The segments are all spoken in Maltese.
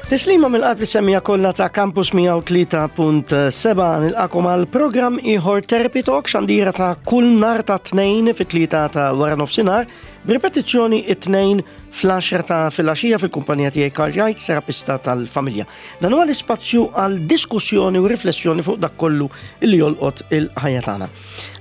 Tislima mill-qalb lis-semmiegħa kollha ta' Campus 103.7 nilqakom għal programm ieħor Therapy Talk xandira ta' kull nar ta' tnejn fit-tlieta ta' wara nofsinhar b'ripetizzjoni it-tnejn fl-10 ta' filgħaxija fil-kumpanija tiegħi Karl Jajt, terapista tal-familja. Dan huwa l-ispazju għal diskussjoni u riflessjoni fuq dak kollu li jolqot il-ħajja tagħna.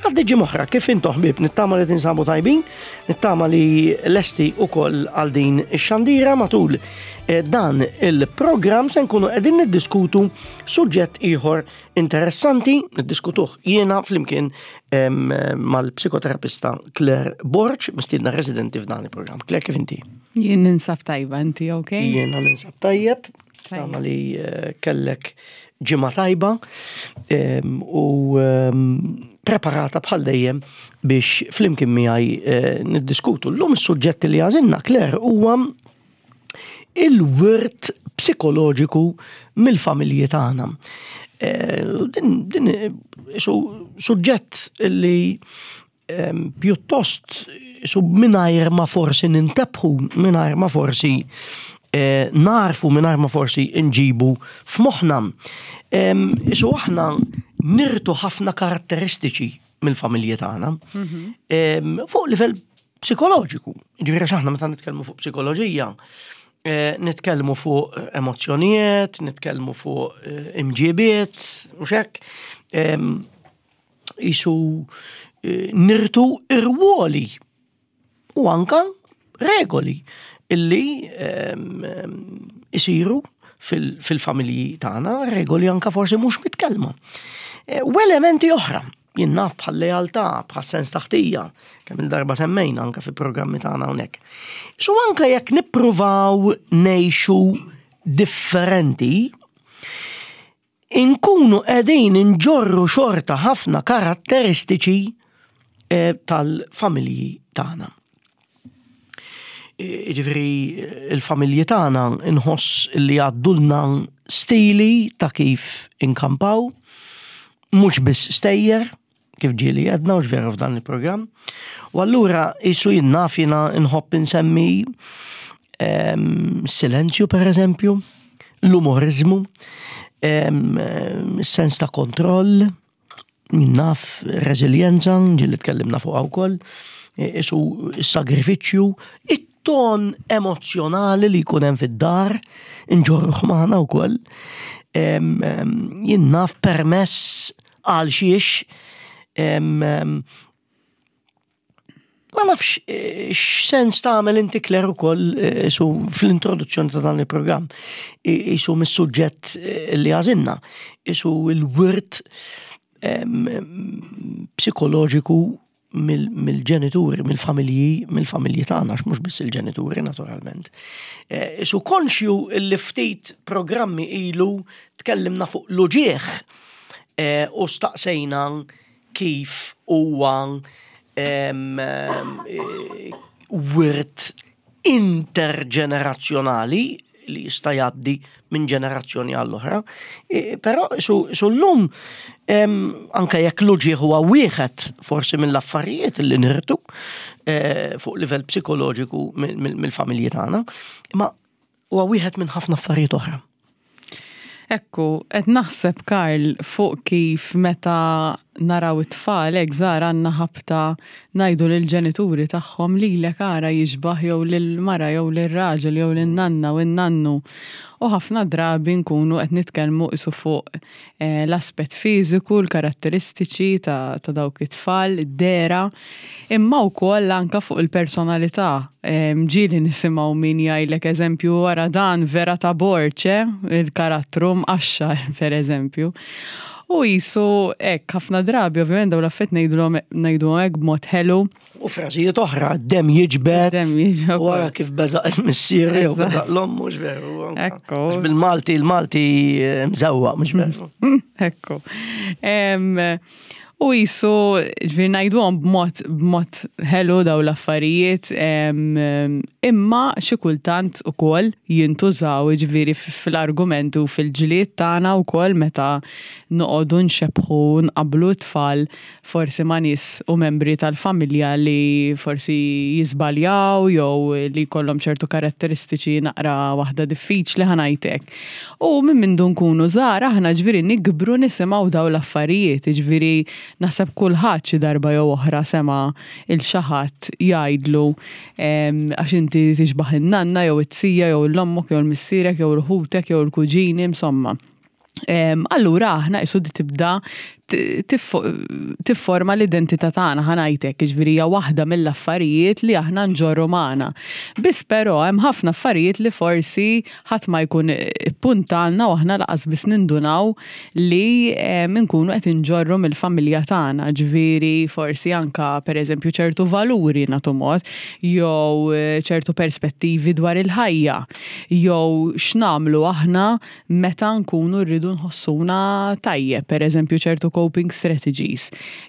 Għaddi ġimgħa kif intom ħbieb nittama li tinsabu tajbin, nittama li lesti ukoll għal din ix-xandira matul eh, dan il-programm se nkunu qegħdin niddiskutu suġġett ieħor interessanti, niddiskutuh jiena flimkien mal-psikoterapista Claire Borg, mistiedna residenti f'dan il-programm. Claire, kif inti? Jien ninsab tajba, inti ok? Jiena ninsab tajjeb, Tama li eh, kellek ġimgħa tajba u preparata bħal dejjem biex flimkien miegħi eh, niddiskutu. Llum is-suġġett li għażilna Claire huwa il-wirt psikoloġiku mill-familji tagħna. Eh, din, din suġġett li pjuttost su mingħajr ma forsi nintebħu, mingħajr ma forsi eh, narfu, mingħajr ma forsi nġibu f'moħħna. Isu aħna nirtu ħafna karatteristiċi mill-familji tagħna mhm. fuq livell psikoloġiku. Ġifieri aħna meta nitkellmu fuq psikoloġija, eh, nitkellmu fuq emozzjonijiet, nitkellmu fuq eh, imġibiet, mhux hekk. Isu eh, nirtu irwoli u anka regoli illi ehm, ehm, isiru fil-familji tagħna, regoli anka forsi mhux mitkellma. Eh, u elementi oħra, jien naf bħal lealtà, bħal sens taħtija, kemm il-darba semmejna anka fi programmi tagħna hawnhekk. So anka jekk nippruvaw ngħixu differenti, inkunu qegħdin inġorru xorta ħafna karatteristiċi eh, tal-familji tagħna. Ġifieri il-familji tagħna nħoss li għaddulna stili ta' kif inkampaw, mhux biss stejjer, kif ġieli għedna u veru f'dan il-programm. U allura jisu jien naf jiena nħobb insemmi ehm, silenzju per eżempju, l-umorizmu, ehm, sens ta' kontroll, naf reżiljenza, ġieli tkellimna fuqha wkoll, isu s-sagrifiċċju, it-ton emozjonali li jkun hemm fid-dar, inġorruh magħna wkoll. Ehm, jien naf permess Għal xiex ma nafx eh, x'sens tagħmel inti Claire ukoll eh, su fl-introduzzjoni ta' dan il-programm isu mis-suġġett eh, li għażilna, isu l-wirt psikoloġiku mill-ġenituri, mill-familji, mill-familji tagħna, għax mhux biss il-ġenituri naturalment. Eh, isu konxju li ftit programmi ilu tkellimna fuq l-uġieħ eh, u staqsejna kif huwa eh, wirt interġenerazzjonali li jista' jgħaddi minn ġenerazzjoni għall-oħra. E, però su llum anke jekk l-uġieħ huwa wieħed forsi mill-affarijiet li nirtu e, fuq livell psikoloġiku mill-familji tagħna, imma huwa wieħed minn ħafna affarijiet oħra. Ekku, qed naħseb Karl fuq kif meta naraw it-tfal hekk żgħar għandna ħabta ngħidu lill-ġenituri tagħhom lilek ara jixbah jew lill-mara jew lir-raġel jew lin-nanna u n-nannu. U ħafna drabi nkunu qed nitkellmu qisu fuq l-aspett fiżiku, l-karatteristiċi ta' ta' dawk it-tfal, id-dehra, imma wkoll anke fuq il-personalità. Ġieli nisimgħu min jgħidlek eżempju wara dan vera ta' borġ, eh, il-karattru mqaxxar pereżempju. U qisu hekk ħafna drabi ovvjament dawn l-affarijiet ngħidulhom ngħiduhom hekk b'mod ħelu. U frażijiet oħra, dem jiġbed. Dem jiġbed. U għara kif beżaq il-missier jew beżaq l-om, mhux veru. Ekku. Bil-Malti, il-Malti eh, mżewwa, mhux veru. Ekku. U qisu, ġifieri ngħiduhom b'mod b'mod ħelu dawn l-affarijiet, imma xi kultant ukoll jintużaw ġifieri fl-argumenti u fil-ġlied tagħna wkoll meta noqogħdu nxebbħu u nqabblu t-tfal forsi ma' nies u membri tal-familja li forsi jiżbaljaw jew li jkollhom ċertu karatteristiċi naqra waħda diffiċli ħa ngħid hekk. U minn mindu nkunu żgħar aħna ġifieri nikbru nisimgħu dawn l-affarijiet, jiġifieri naħseb kulħadd xi darba jew oħra sema' 'il xi ħadd jgħidlu għax inti tixbah in-nanna jew it-tija jew 'l ommok jew 'l missierek jew 'l ħutek jew il-kuġini insomma. Allura aħna qisu di tibda tifforma l-identità tagħna ħa ngħid hekk, jiġifieri hija waħda mill-affarijiet li aħna nġorru magħna. Biss però hemm ħafna affarijiet li forsi ħadd ma jkun ippuntalna u aħna laqas biss nindunaw li nkunu qed inġorru mill-familja tagħna, ġifieri forsi anke pereżempju ċertu valuri nagħtu mod jew ċertu perspettivi dwar il-ħajja jew x'nagħmlu aħna meta nkunu rridu nħossuna tajjeb, pereżempju ċertu coping strategies,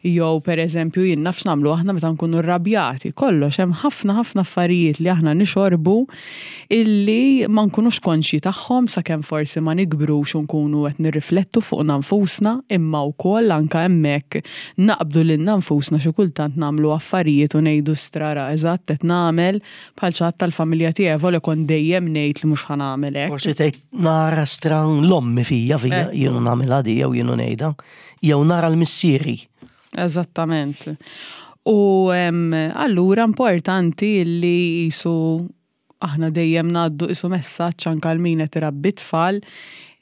jew pereżempju jien naf x'nagħmlu aħna meta nkunu rrabjati. Kollox hemm ħafna ħafna affarijiet li aħna nixorbu illi ma nkunux konxji tagħhom sakemm forsi ma nikbrux u nkunu qed nirriflettu fuqna nfusna, imma wkoll anke hemmhekk naqbdu lilna nfusna xi kultant nagħmlu affarijiet u ngħidu strara eżatt qed nagħmel Bħal xi ħadd tal-familja tiegħi avolja kont dejjem ngħid li mhux ħa nagħmel hekk. Forsi tgħid nara stran l-ommi fija fija jienu nagħmilha di jew jienu ngħidha jew nara l-missieri. Eżattament. U allura importanti li qisu aħna dejjem ngħaddu qisu messaġġ anke għal min qed irabbi t-tfal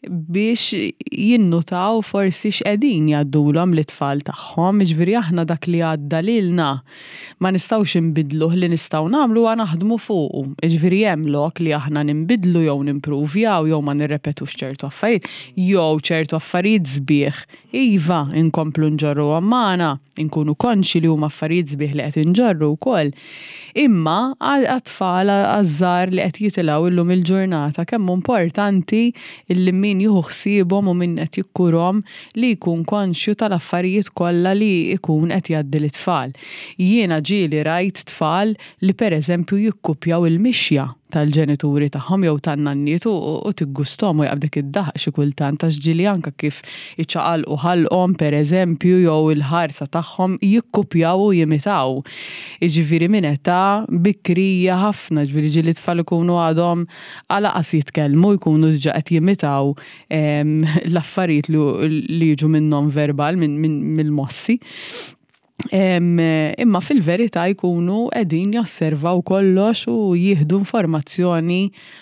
biex jinnutaw forsi x'qegħdin jgħaddulhom lit-tfal tagħhom, jiġifieri aħna dak li għadda lilna ma nistgħux inbiddluh, li nistgħu nagħmlu huwa naħdmu fuqu. Jiġifieri hemm lok li aħna ninbidlu jew nimpruvjaw jew ma nirrepetux ċertu affarijiet jew ċertu affarijiet sbieħ iva inkomplu nġorruhom magħna, inkunu konxji li huma affarijiet sbieħ li qed inġorru wkoll. Imma għat-tfal għaż-żgħar li qed jitilgħu illum il-ġurnata kemm hu importanti li min jieħu ħsiebhom u min qed jikkurhom li jkun konxju tal-affarijiet kollha li jkun qed jgħaddi lit-tfal. Jiena ġieli rajt tfal li pereżempju jikkupjaw il-mixja tal-ġenituri tagħhom jew tan-nanniet u tiggusthom u jaqbdek id-daħq xi kultant għax ġieli anke kif iċaqalqu ħalqhom pereżempju jew il-ħarsa tagħhom jikkupjaw u jimitaw. Jiġifieri minn età bikrija ħafna, jiġifieri ġieli t-tfal ikunu għadhom lanqas jitkellmu jkunu diġà qed jimitaw l-affarijiet li jiġu min-non verbal, mill-mossi. Imma fil-verità jkunu qegħdin josservaw kollox u jieħdu informazzjoni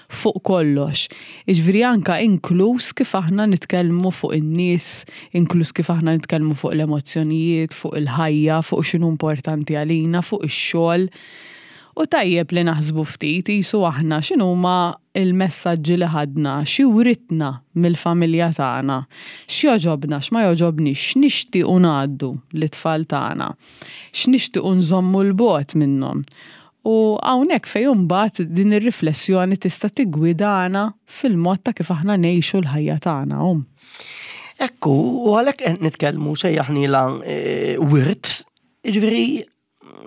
fuq kollox. Jiġifieri anke inkluż kif aħna nitkellmu fuq in-nies, inkluż kif aħna nitkellmu fuq l-emozzjonijiet, fuq il-ħajja, fuq x'inhu importanti għalina, fuq ix-xogħol. U tajjeb li naħsbu ftit qisu aħna x'inhuma l-messaġġi li ħadna, xi writna mill-familja tagħna, x'jogħġobna, x'ma jogħġobniex, x'nixtiequ ngħaddu lit-tfal tagħna, x'nixtiequ nżommu 'l bogħod minnhom. U hawnhekk fejn imbagħad din ir-riflessjoni tista' tiggwidana fil-mod ta' kif aħna ngħixu l-ħajja tagħna. Ekku, u għalhekk qed nitkellmu sejjaħnielha wirt, jiġifieri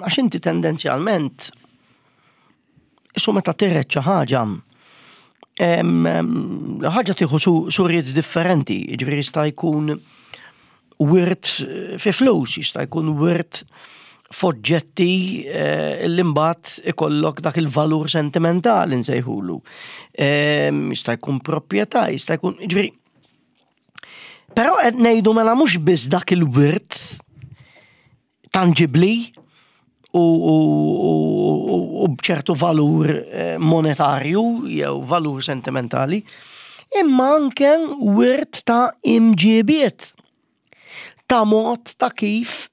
Għax inti tendenzjalment, isu meta tiret xi ħaġa, ħaġa tieħu suriet differenti, jiġifieri jista' jkun wirt fi flus, jista' jkun wirt f'oġġetti eh, li mbagħad ikollok dak il-valur sentimentali nsejħulu. Jista' jkun proprjetà, jista' jkun, jiġifieri Però qed ngħidu mela mhux biss dak il-wirt tanġibbli u, u, u, u b'ċertu valur eh, monetarju jew valur sentimentali, imma anke wirt ta' imġibiet, ta' mod ta' kif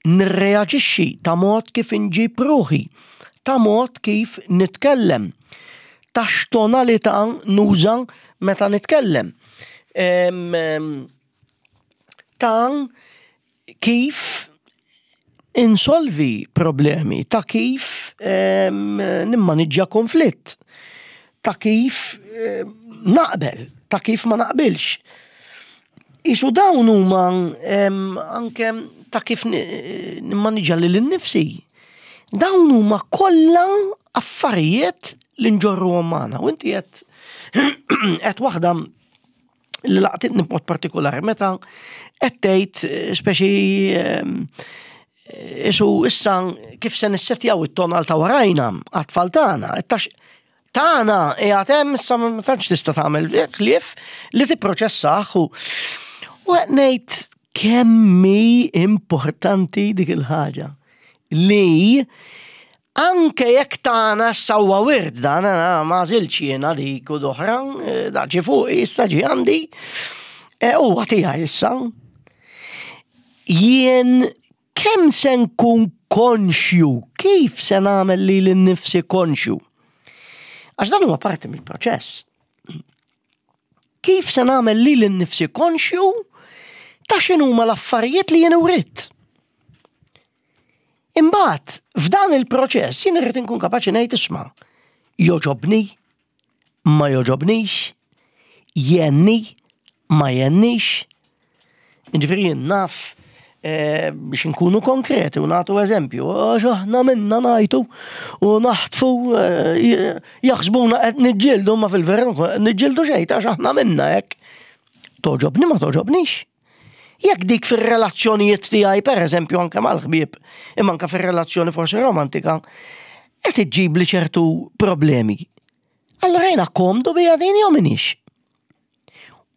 nirreaġixxi, ta' mod kif inġib ruħi, ta' mod kif nitkellem, ta' x'tonalità nuża meta nitkellem. Ta' kif insolvi problemi, ta' kif nimmaniġġja konflitt, ta' kif naqbel, ta' kif ma naqbilx. Isu dawn huma anke ta' kif nimmaniġa lil innifsi. Dawn huma kollha affarijiet li nġorruhom magħna. U inti qed qed waħda li laqtitni b'mod partikolari meta qed tgħid speċi isu issa kif se nissetjaw it-tonal ta' warajna għat-tfal tagħna, tagħna qiegħed hemm issa ma tantx tista' tagħmel ħlief li tipproċessah u qed ngħid kemm hi importanti dik il-ħaġa li anke jekk tagħna issa huwa wirt dan ma għażiltx jiena dik u d-oħra, eh, da ġie fuqi issa ġie għandi, eh, huwa tiegħi issa. Jien kemm se nkun konxju, kif se nagħmel lili nnifsi konxju? Għax dan huwa parti mill-proċess. Kif se nagħmel lili nnifsi konxju ta' x'inhuma l-affarijiet li jien uritt? Imbagħad, f'dan il-proċess jien irrid inkun kapaċi ngħid isma' joġobni, ma joġobnix, jenni, ma jennix. Ġifieri jien naf eh, biex nkunu konkreti u nagħtu eżempju, għax aħna minna ngħidu u naħtfu eh, jaħsbuna qed niġġieldu ma fil-veru niġġieldu xejn għax aħna minna hekk. Toġobni ma toġobnix. Jekk dik fir-relazzjonijiet tiegħi pereżempju anke mal-ħbieb, imma anke fir-relazzjoni forsi romantika, qed iġġibli ċertu problemi. Allura jiena komdu bija din jew minix.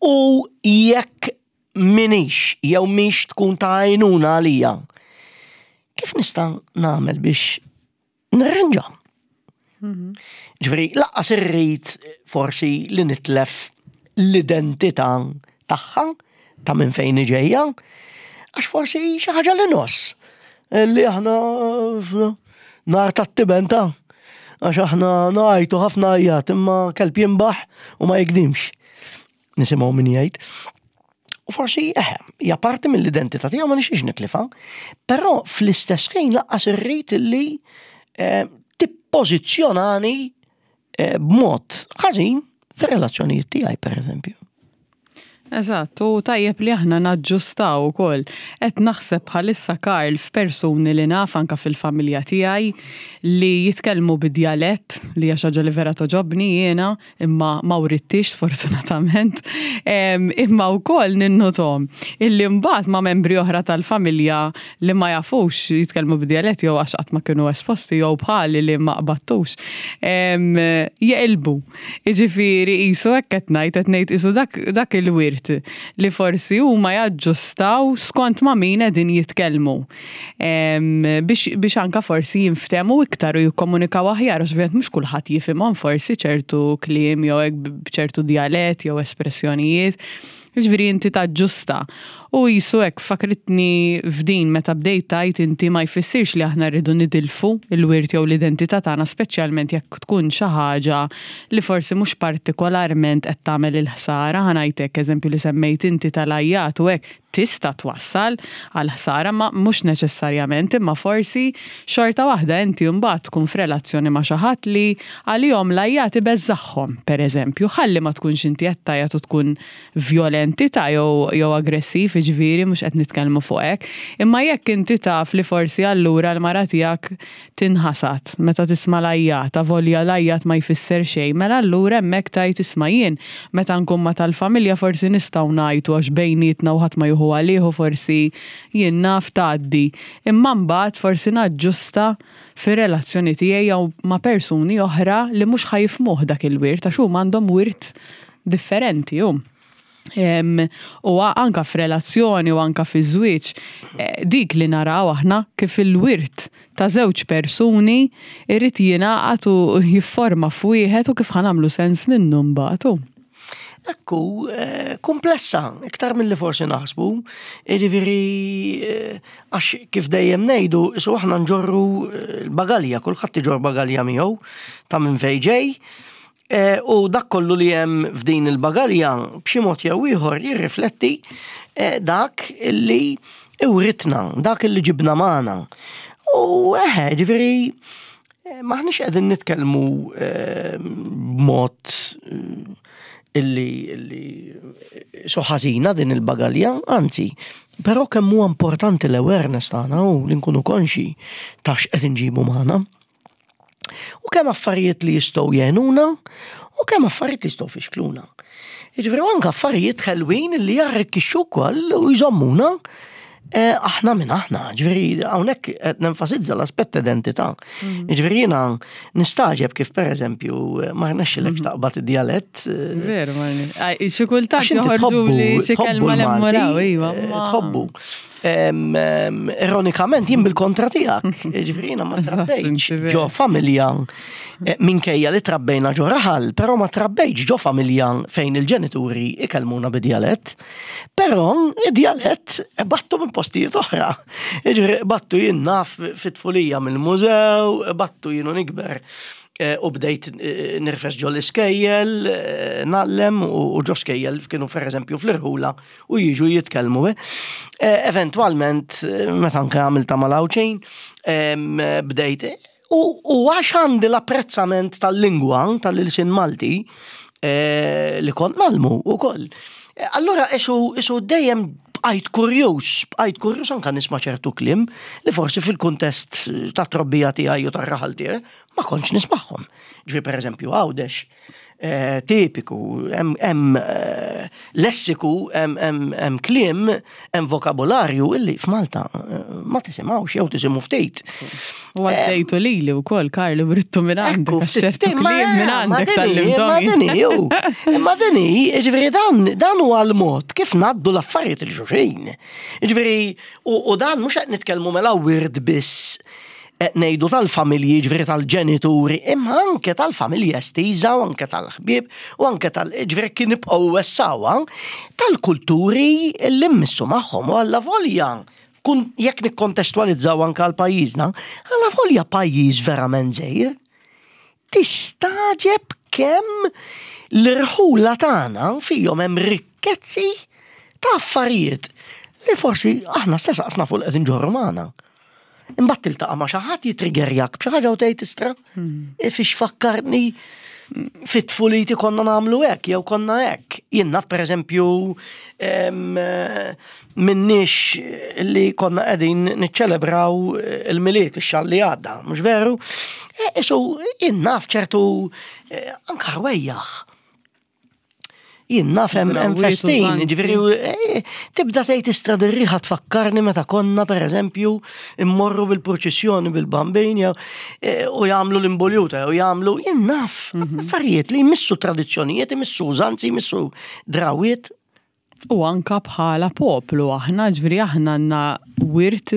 U jekk minix jew mhix tkun ta' għajnuna għalija, kif nista' nagħmel biex nirranġa. Mhm. Ġifieri, laqqas irrid forsi li nitlef l-identità tagħha ta' minn fejn ġejja, għax forsi xi ħaġa li noss li aħna nar tat-tiben ta' għax aħna ngħajtu ħafna għajjat imma kelb jimbaħ u ma jikdimx. Nisimgħu min jgħid. U forsi eħe, hija parti mill-identità tiegħu ma nixiex nitlifa, però fl-istess ħin laqqas irrid li eh, tippożizzjonani eh, b'mod ħażin fir-relazzjonijiet tiegħi pereżempju. Eżatt, u tajjeb li aħna naġġustaw ukoll. Qed naħseb bħalissa Karl f'persuni li naf anka fil-familja tiegħi li jitkellmu bid-djalett li hija xi ħaġa li vera toġobni jiena, imma ma writtix sfortunatament, imma wkoll ninnutom illi mbagħad ma' membri oħra tal-familja li ma jafux jitkellmu bid-djalett jew għax qatt ma kienu esposti jew bħali li ma qbattux, jeqilbu. Jiġifieri qisu hekk qed ngħid, qed ngħid qisu dak, dak il-wirt li forsi huma jaġġustaw skont ma' min qegħdin jitkellmu. Biex, biex anka forsi jinftehmu iktar u jikkomunikaw aħjar, għax ovvjament mhux kulħadd jifhimhom forsi ċertu kliem jew hekk b'ċertu djalett jew espressjonijiet. Jiġifieri inti taġġusta. U qisu hekk fakkritni f'din meta bdejt tgħid inti ma jfissirx li aħna rridu nidilfu l-wirt jew l-identità tagħna speċjalment jekk tkun xi ħaġa li forsi mhux partikolarment qed tagħmel il-ħsara, ħa ngħid hekk eżempju li semmejt inti tal-għajjat u hekk tista' twassal għal ħsara ma mhux neċessarjament imma forsi xorta waħda inti mbagħad tkun f'relazzjoni ma' xi ħadd li għalihom l-għajjat ibeżżagħhom, pereżempju, ħalli ma tkunx inti qed tgħajjat u tkun vjolenti ta' jew jew aggressiv, jiġifieri mhux qed nitkellmu fuq hekk. Imma jekk inti taf li forsi allura l-mara tiegħek tinħasad meta tisma' l-għajjat, avolja l-għajjat ma jfisser xejn, mela allura hemmhekk tgħid isma' jien meta nkun ma' tal-familja forsi nistgħu ngħajtu għax bejnietna u ħadd ma jieħu għalih u forsi jien naf tgħaddi. Imma mbagħad forsi naġġusta fir-relazzjoni tiegħi jew ma' persuni oħra li mhux ħa jifhmuh dak il-wirt għax huma għandhom wirt differenti hu. U anka f'relazzjoni u anka fi żwieġ, eh, dik li naraw aħna kif il-wirt ta' żewġ persuni irrid jingħaqad u jifforma f'wieħed u kif ħanamlu sens minnu mbagħad. Ekku, eh, komplessa, iktar mill-li forsi naħsbu, jiġifieri eh, għax kif dejjem ngħidu, isu aħna nġorru l-bagalja, kulħadd iġorr bagalja miegħu ta' minn fejn ġej, Eh, u dak kollu li hemm f'din il-bagalja b'xi mod jew ieħor jirrifletti eh, dak li iwritna, dak li ġibna magħna. U eħe, ġifieri eh, maħniex qegħdin nitkellmu b'mod. illi illi so ħażina din il-bagalja, anzi, però kemm huwa importanti l-awareness tagħna u li nkunu konxi ta' x'qed inġibu magħna. U kemm affarijiet li jistgħu jgħinuna u kemm affarijiet li jistgħu fixkluna. Jiġifieri anke affarijiet ħelwin li jarrikkixxu wkoll u jżommuna eh, aħna minn aħna, ġifieri hawnhekk qed nenfasizza l-aspett identità. Mhm. Ġifieri jiena nistaġeb kif pereżempju ma rnexxilekx mhm. taqbad id-djalett. Eh, Veru, ma xi kultant joħorġu li xi kelma l-emmuraw, iva. Eh, tħobbu. Ironikament jien bil-kontra tiegħek, ġifieri jiena ma trabbejtx ġo familja eh, minkejja li trabbejna ġo raħal, però ma trabbejtx ġo familja fejn il-ġenituri ikellmuna bid-djalett. Però id-djalett battu minn postijiet oħra. Ġifieri battu jien naf fit-tfulija mill-mużew, battu jienu nikber eh, u bdejt eh, nirfes ġo l-iskejjel, nallem u ġo skejjel kienu per eżempju fl-irħula u jiġu jitkellmu. Eh. eh, eventwalment, eh, meta anke għamilta mal-Għawdxin, bdejt u għax għandi l-apprezzament tal-lingwa, tal-ilsin Malti, eh, li kont nalmu u koll. Allora, isu dejjem bqajt kurjuż, bqajt kurjuż anka nisma' ċertu kliem li forsi fil-kuntest ta' trobbija tiegħi u tar-raħal tiegħi ma kontx nismagħhom. Ġifieri pereżempju Għawdex, Eh, tipiku, hemm eh, lessiku, hemm kliem, hemm vokabularju illi f'Malta eh, ma tisimgħux jew tisimgħu ftit. U għaddejtu lili wkoll Karli brittu minn għandek ċertu kliem minn għandek tal-limtom. Imma dini, ġifieri dan dan huwa l-mod kif ngħaddu l-affarijiet il xulxin. Ġifieri u dan mhux qed nitkellmu mela wirt biss qed ngħidu tal-familji, ġifieri tal-ġenituri, imma anke tal-familja estiża u anke tal-ħbieb u anke tal ġifieri kien nibqgħu wessawha tal-kulturi li mmissu magħhom u alla volja kun jekk nikkontestwalizzaw anke għal pajjiżna, alla volja pajjiż verament żgħir. Tistagħġeb kemm l-irħula tagħna fihom hemm rikkezzi ta' affarijiet li forsi aħna stess qas nafu li qed inġorru magħna. Imbagħad tiltaqa' ma' xi ħadd jitriggerjak b'xi ħaġa u tgħid istra. Hmm. E fiex fakkarni fit-tfuliti konna nagħmlu hekk jew konna hekk. Jien naf pereżempju minnix li konna qegħdin niċċelebraw il-Milied ix-xahar li għadda, mhux veru? E, isu jien naf ċertu e, anka rwejjaħ. Jien naf hemm festin, ġifieri eh, tibda tgħid istra dirriħa tfakkarni meta konna pereżempju immorru bil-purċissjoni bil-bambin jew eh, u jagħmlu l-imboljuta jew jagħmlu jien naf mhm. affarijiet li jmissu tradizzjonijiet, jmissu użanzi, jmissu drawiet. U anka bħala poplu aħna, ġifieri aħna għandna wirt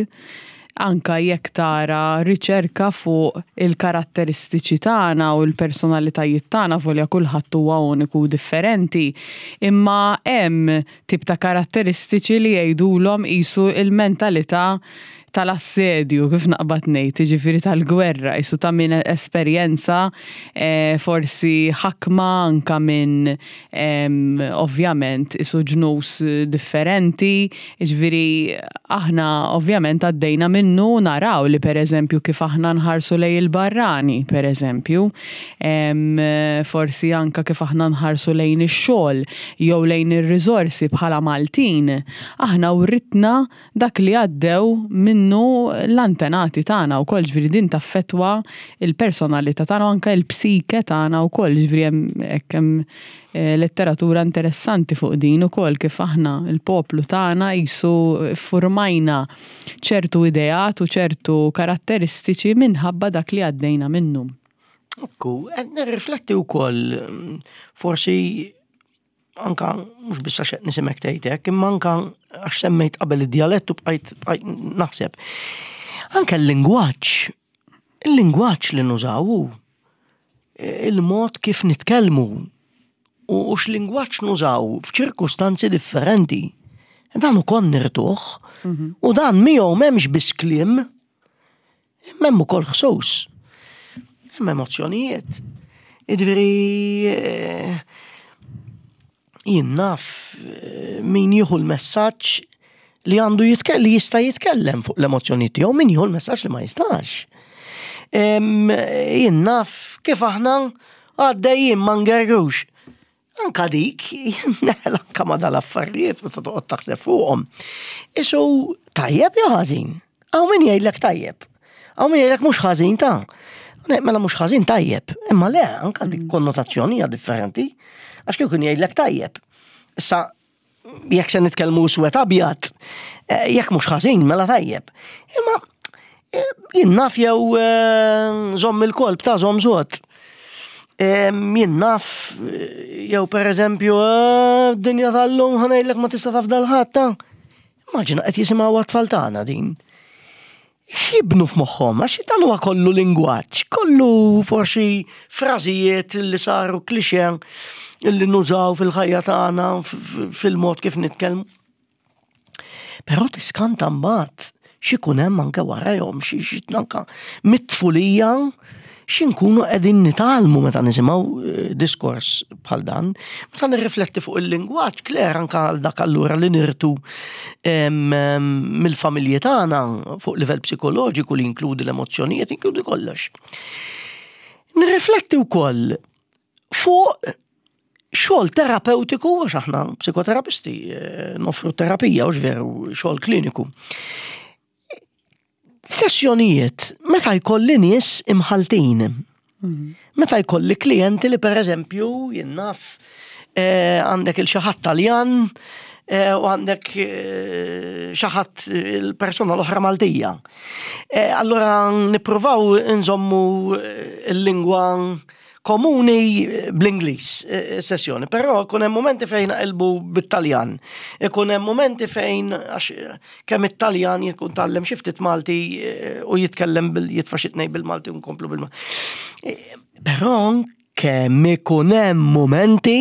anka jekk tara riċerka fuq il-karatteristiċi tagħna u l-personalitajiet tagħna volja kulħadd huwa uniku u differenti, imma hemm tip ta' karatteristiċi li jgħidulhom qisu l-mentalità tal-assedju, kif naqbad ngħid, jiġifieri tal-gwerra, qisu ta' min esperjenza eh, forsi ħakma anka minn ovvjament isu ġnus differenti, jiġifieri aħna ovvjament għaddejna minnu naraw li pereżempju kif aħna nħarsu lejn il-barrani, pereżempju, forsi anka kif aħna nħarsu lejn ix-xogħol jew lejn ir-riżorsi bħala Maltin, aħna writna dak li għaddew minnu l-antenati tagħna wkoll, ġifieri din taffettwa l-personalità tagħna u anke l-psike tagħna wkoll, ġifieri hemm hekk hemm eh, letteratura interessanti fuq din ukoll kif aħna l-poplu tagħna qisu ffurmajna ċertu ideat u ċertu karatteristiċi minħabba dak li għaddejna minnu. Ekku, qed nirrifletti wkoll mm, forsi anka mhux biss għax qed nisimek tgħid hekk, imma anka għax semmejt qabel id-djalett u bqajt naħseb. Anke l-lingwaġġ, il-lingwaġġ li nużaw hu il-mod kif nitkellmu u x'lingwaġġ nużaw f'ċirkustanzi differenti. Dan ukoll nirtuh mhm. u dan miegħu m'hemmx biss kliem, Imma hemm ukoll ħsus. Hemm emozzjonijiet. Jiġifieri eh, jien naf eh, min jieħu l-messaġġ li għandu jitkellem li jista' jitkellem fuq l-emozzjonijiet tiegħu min jieħu l-messaġġ li ma jistax. Jien naf kif aħna għaddejjin ma ngerrux. Anka dik, neħel anka ma dal-affarijiet meta toqgħod taħseb fuqhom. Isu tajjeb jew ħażin? Hawn min jgħidlek tajjeb. Hawn min jgħidlek mhux ħażin ta' Mela mhux ħażin tajjeb. Imma le, anka dik mm. konnotazzjoni hija differenti. Għax kieku jgħidlek tajjeb. Issa jekk se nitkellmu swed abjad, eh, jekk mhux ħażin mela tajjeb. Imma eh, jien naf jew eh, żomm il-kolb ta' żomm żod. Jien naf jew pereżempju dinja tal-lum ħanejlek ma tista' taf dal-ħadd ta' Immaġina qed jisimgħu għat-tfal tagħna din. X'jibnu f'moħħhom, għax dan huwa kollu lingwaġġ, kollu forsi frażijiet li saru klixe li nużaw fil-ħajja tagħna fil-mod kif nitkellmu. Però tiskanta mbagħad x'ikun hemm anke warajhom, xi anke mit-tfulija x'inkunu qegħdin nitgħallmu meta nisimgħu eh, diskors bħal dan. Meta nirrifletti fuq il-lingwaġġ, Claire anke għal dak allura li nirtu mill-familji tagħna fuq livell psikoloġiku li jinkludi l-emozzjonijiet, jinkludi kollox. Nirrifletti wkoll fuq xogħol terapeutiku, għax aħna psikoterapisti, eh, nofru terapija, u veru xogħol kliniku. Sessjonijiet meta jkolli nies imħaltin. Mhm. Meta jkolli klijenti li pereżempju jien naf eh, għandek il xi ħadd Taljan eh, u għandek eh, xi ħadd il-persuna l-oħra Maltija. Allura nippruvaw nżommu l-lingwa komuni bl-Ingliż sessjoni, però ikun hemm momenti fejn naqilbu bit-Taljan. Ikun hemm momenti fejn għax kemm it-Taljan jkun tgħallem xi ftit Malti eh, u jitkellem bil jitfa' xi tnejn bil-Malti u nkomplu bil-Malti. Eh, però kemm ikun hemm momenti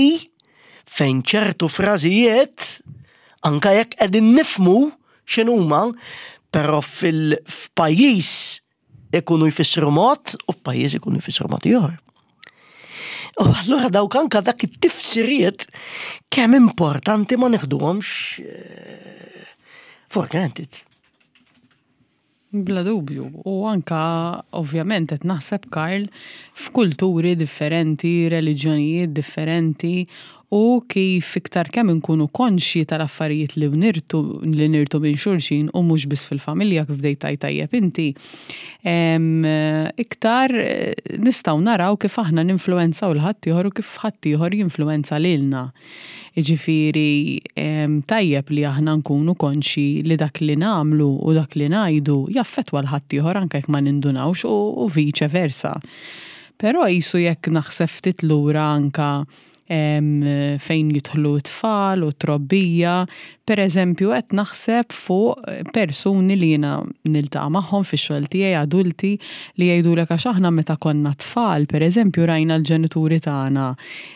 fejn ċertu frażijiet anka jekk qegħdin nifmu x'inhuma, però fil-pajjiż ikunu jfissru mod u f'pajjiż ikunu jfissru mod ieħor. U allura dawk anka dak it-tifsiriet kemm importanti ma neħduhomx eh, for granted. Bla dubju, u anka ovvjament qed naħseb Karl f'kulturi differenti, reliġjonijiet differenti u kif iktar kemm inkunu konxji tal-affarijiet li nirtu li nirtu minn xulxin u mhux biss fil-familja kif bdejt tgħid tajjeb inti, iktar nistgħu naraw kif aħna ninfluwenzaw 'l ħaddieħor u kif ħaddieħor jinfluwenza lilna. Jiġifieri tajjeb li aħna nkunu konxji li dak li nagħmlu u dak li ngħidu jaffettwa 'l ħaddieħor anke jekk ma nindunawx u viċe versa. Però qisu jekk naħseb ftit lura anke fejn jidħlu t-tfal u t-trobbija. Per eżempju, qed naħseb fuq persuni li jiena niltaqa' magħhom fix-xogħol tiegħi, adulti, li jgħidulek għax aħna meta konna tfal, per eżempju, rajna l-ġenituri tagħna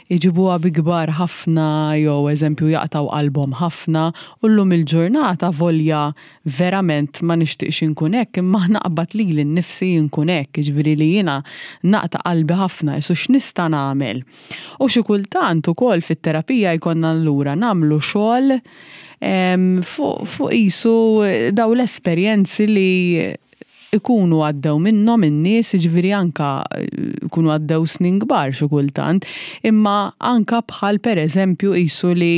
jġibuha bi kbar ħafna jew eżempju jaqtgħu qalbhom ħafna u llum il-ġurnata volja verament ma nixtieqx inkun hekk imma naqbad lili nnifsi nkun hekk, jiġifieri li jiena naqta' qalbi ħafna, qisu x'nista' nagħmel? U xi kultant ukoll fit-terapija jkollna allura nagħmlu xogħol fuq qisu dawn l-esperjenzi li ikunu għaddew minnhom in-nies, jiġifieri anke jkunu għaddew snin kbar xi kultant, imma anke bħal pereżempju qisu li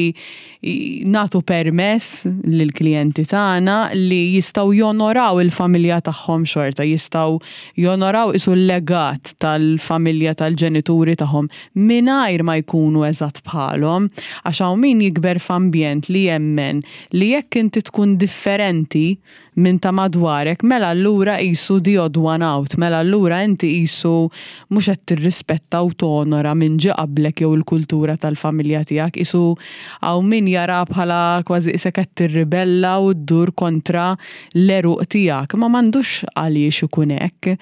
nagħtu permess lill-klijenti tagħna li jistgħu jonoraw il-familja tagħhom xorta, jistgħu jonoraw qisu l-legat tal-familja tal-ġenituri tagħhom mingħajr ma jkunu eżatt bħalhom. Għax hawn min jikber f'ambjent li jemmen li jekk inti tkun differenti minn ta' madwarek, mela allura qisu the odd one out, mela allura inti qisu mhux qed tirrispetta u tonora min ġie qablek jew il-kultura tal-familja tiegħek, qisu hawn min jaraha bħala kważi qisek qed tirribella u ddur kontra l-għeruq tiegħek, imma m'għandux għaliex ikun hekk.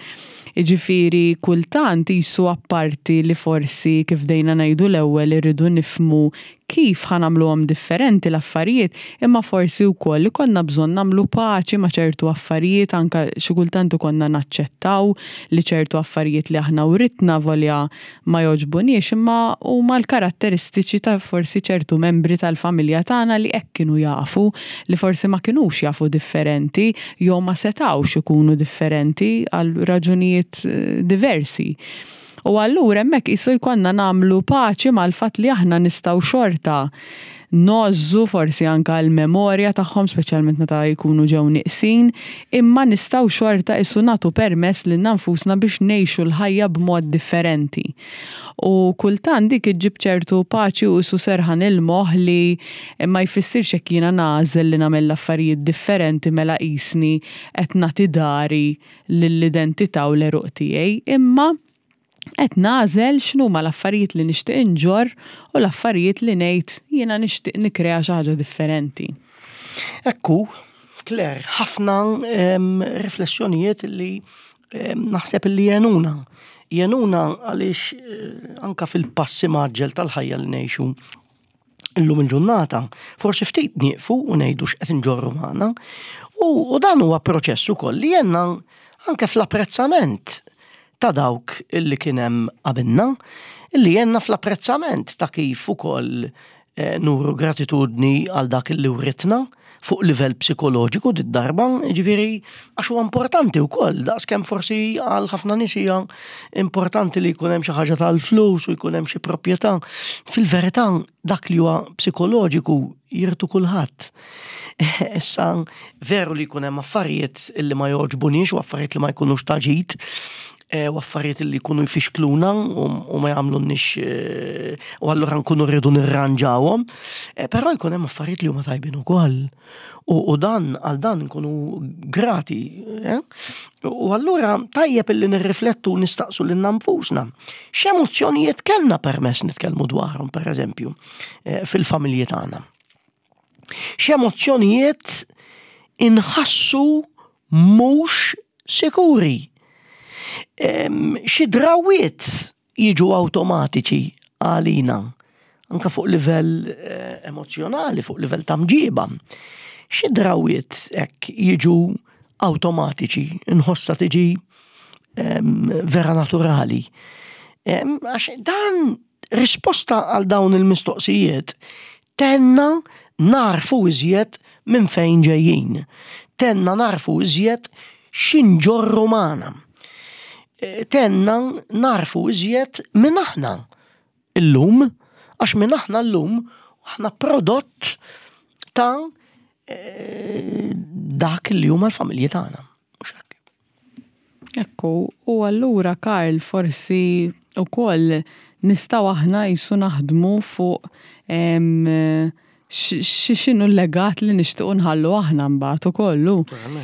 Jiġifieri kultant qisu apparti li forsi kif bdejna ngħidu l-ewwel irridu nifhmu kif ħa nagħmluhom differenti l-affarijiet, imma forsi wkoll ikollna bżonn nagħmlu paċi ma' ċertu affarijiet, anke xi kultant ikollna naċċettaw li ċertu affarijiet li aħna writna volja ma jogħġbuniex imma huma l-karatteristiċi ta' forsi ċertu membri tal-familja tagħna li hekk kienu jafu, li forsi ma kinux jafu differenti jew ma setgħux ikunu differenti għal raġunijiet diversi. U allura hemmhekk qisu jkollna nagħmlu paċi mal-fatt li aħna nistgħu xorta ngħożżu forsi anke l-memorja tagħhom speċjalment meta jkunu ġew nieqsin, imma nistgħu xorta qisu nagħtu permess lilna nfusna biex ngħixu l-ħajja b'mod differenti. U kultant dik iġġib ċertu paċi u qisu serħan il-moħħ li ma jfissirx jekk jiena nagħżel li nagħmel l-affarijiet differenti mela qisni qed nagħti dari lill-identità u l-għeruq tiegħi, imma qed nagħżel x'inhuma l-affarijiet li nixtieq inġorr u l-affarijiet li ngħid jiena nixtieq nikkrea xi ħaġa differenti. Ekku, Claire, ħafna riflessjonijiet li naħseb li jenuna. Jenuna għaliex eh, anka fil-passi maġġel tal-ħajja li ngħixu illum il-ġurnata, forsi ftit nieqfu u ngħidu x'qed inġorru magħna. U dan huwa proċess ukoll li jenna anke fl-apprezzament ta' dawk illi kien hemm qabilna, illi jenna fl-apprezzament ta' kif ukoll eh, nuru gratitudni għal dak illi writna fuq livell psikoloġiku did-darba, ġifieri għax huwa importanti wkoll, daqskemm forsi għal ħafna nies hija importanti li jkun hemm xi ħaġa tal-flus u jkun hemm xi proprjetà. Fil-verità dak li huwa psikoloġiku jirtu kulħadd. Issa veru li jkun hemm affarijiet li ma jogħġbuniex u affarijiet li ma jkunux ta' ġid, eh, u affarijiet li jkunu jfixkluna u ma jagħmlunniex eh, u allura nkunu rridu nirranġawhom, eh, però jkun hemm affarijiet li huma tajbin ukoll. U dan għal dan nkunu grati. U allura tajjeb illi nirriflettu u nistaqsu lil nfusna. X'emozzjonijiet kellna permess nitkellmu dwarhom, pereżempju, fil-familji tagħna. X'emozzjonijiet inħassu mhux sikuri. Xi drawwiet jiġu awtomatiċi għalina, anka fuq livell eh, emozjonali, fuq livell ta' mġiba. Xi drawwiet hekk jiġu awtomatiċi, inħossa tiġi vera naturali. Għax dan risposta għal dawn il-mistoqsijiet Tgħinna nagħrfu iżjed minn fejn ġejjin. Tgħinna nagħrfu iżjed x'inġorru magħna. Tgħinna nagħrfu iżjed min aħna llum, għax min aħna llum aħna prodott ta' dak li huma l-familji tagħna. Mhux hekk? Ekku, u allura Karl forsi wkoll nistgħu aħna qisu naħdmu fuq x'inhu l-legat li nixtiequ nħallu aħna mbagħad ukoll hu.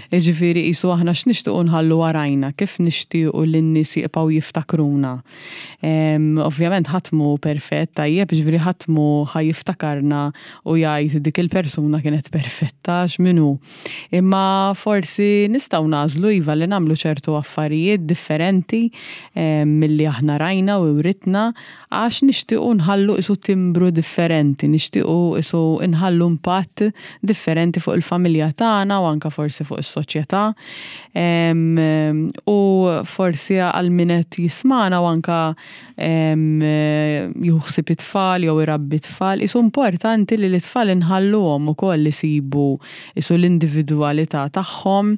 Jiġifieri qisu aħna x'nixtiequ nħallu warajna, kif nixtiequ li n-nies jibqgħu jiftakruna. Ovvjament ħadd mhu perfett tajjeb, jiġifieri ħadd mhu ħa jiftakarna u jgħid dik il-persuna kienet perfetta għax min hu. Imma forsi nistgħu nagħżlu iva li nagħmlu ċertu affarijiet differenti milli aħna rajna u writna għax nixtiequ nħallu qisu timbru differenti, nixtiequ qisu nħallu impatt differenti fuq il-familja tagħna u anke forsi fuq is-soċjetà. U forsi għal min qed jismagħna u anke jieħu ħsieb it-tfal jew irabbi t-tfal, qisu importanti li l-itfal inħalluhom ukoll isibu qisu l-individwalità tagħhom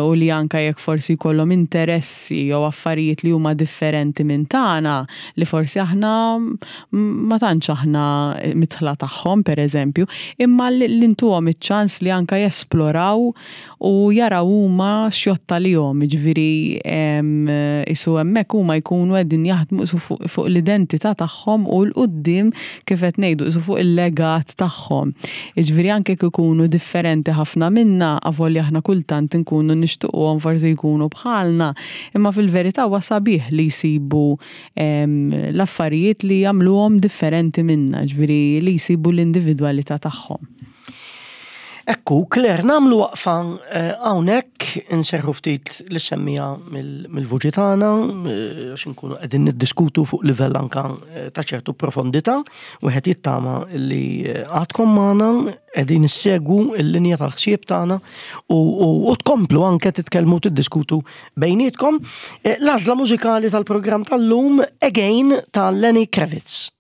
u li anke jekk forsi jkollhom interessi jew affarijiet li huma differenti minn tagħna li forsi aħna ma tantx aħna midħla tagħhom pereżempju, imma li ntuhom iċ-ċans li anke jesploraw u jaraw huma x'jgħodd għalihom, jiġifieri qisu hemmhekk huma jkunu qegħdin jaħdmu qisu fuq l-identità tagħhom u 'l quddiem kif qed ngħidu qisu fuq il-legat tagħhom. Jiġifieri anke jekk ikunu differenti ħafna minna, avolja aħna kultant inkunu nixtiequhom forsi jkunu bħalna, imma fil-verità huwa sabiħ li jsibu l-affarijiet li jagħmluhom differenti minna, jiġifieri li jsibu l-individwalità tagħhom. Ekku, Claire, nagħmlu waqfa eh, hawnhekk inserħu ftit li semmija mill-vuċi tagħna eh, għax inkunu qegħdin niddiskutu fuq livell anka eh, ta' ċertu profondità, wieħed jittama li għadkom magħna qegħdin issegwu l-linja tal-ħsieb tagħna u tkomplu anke titkellmu tiddiskutu bejnietkom. L-għażla mużikali tal-programm tal-lum Again ta' Lenny Kravitz.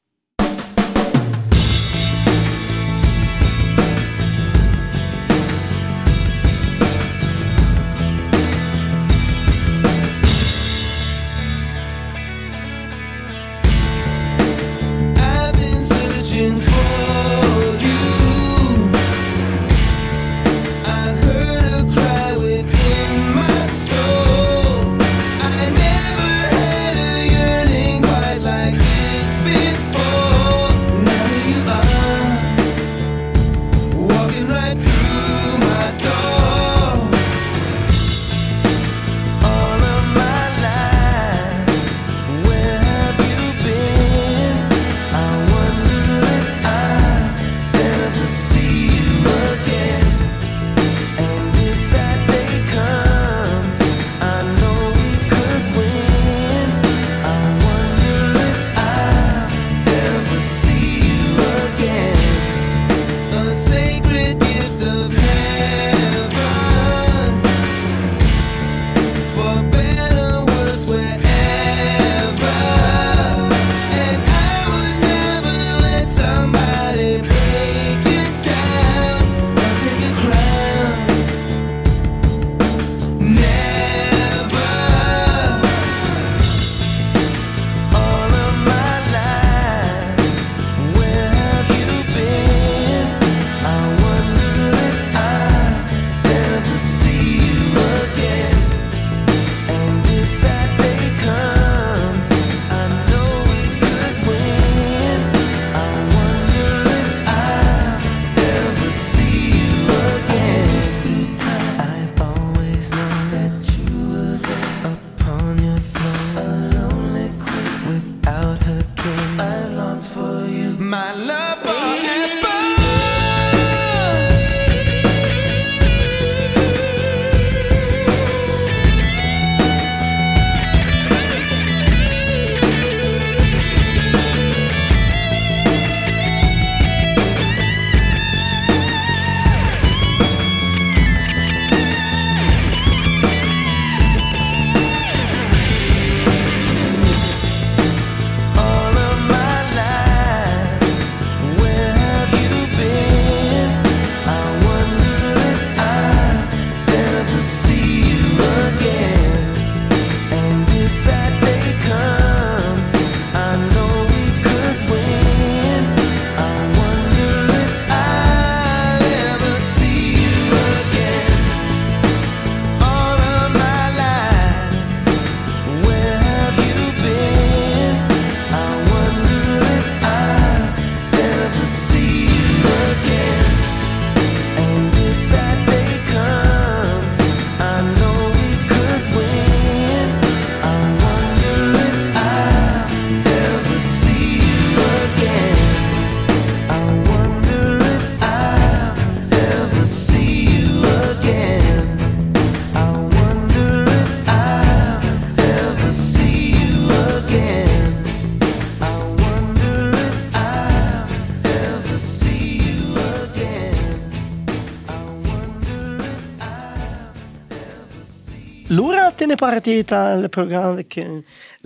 Lura t-tieni parti tal-programm kien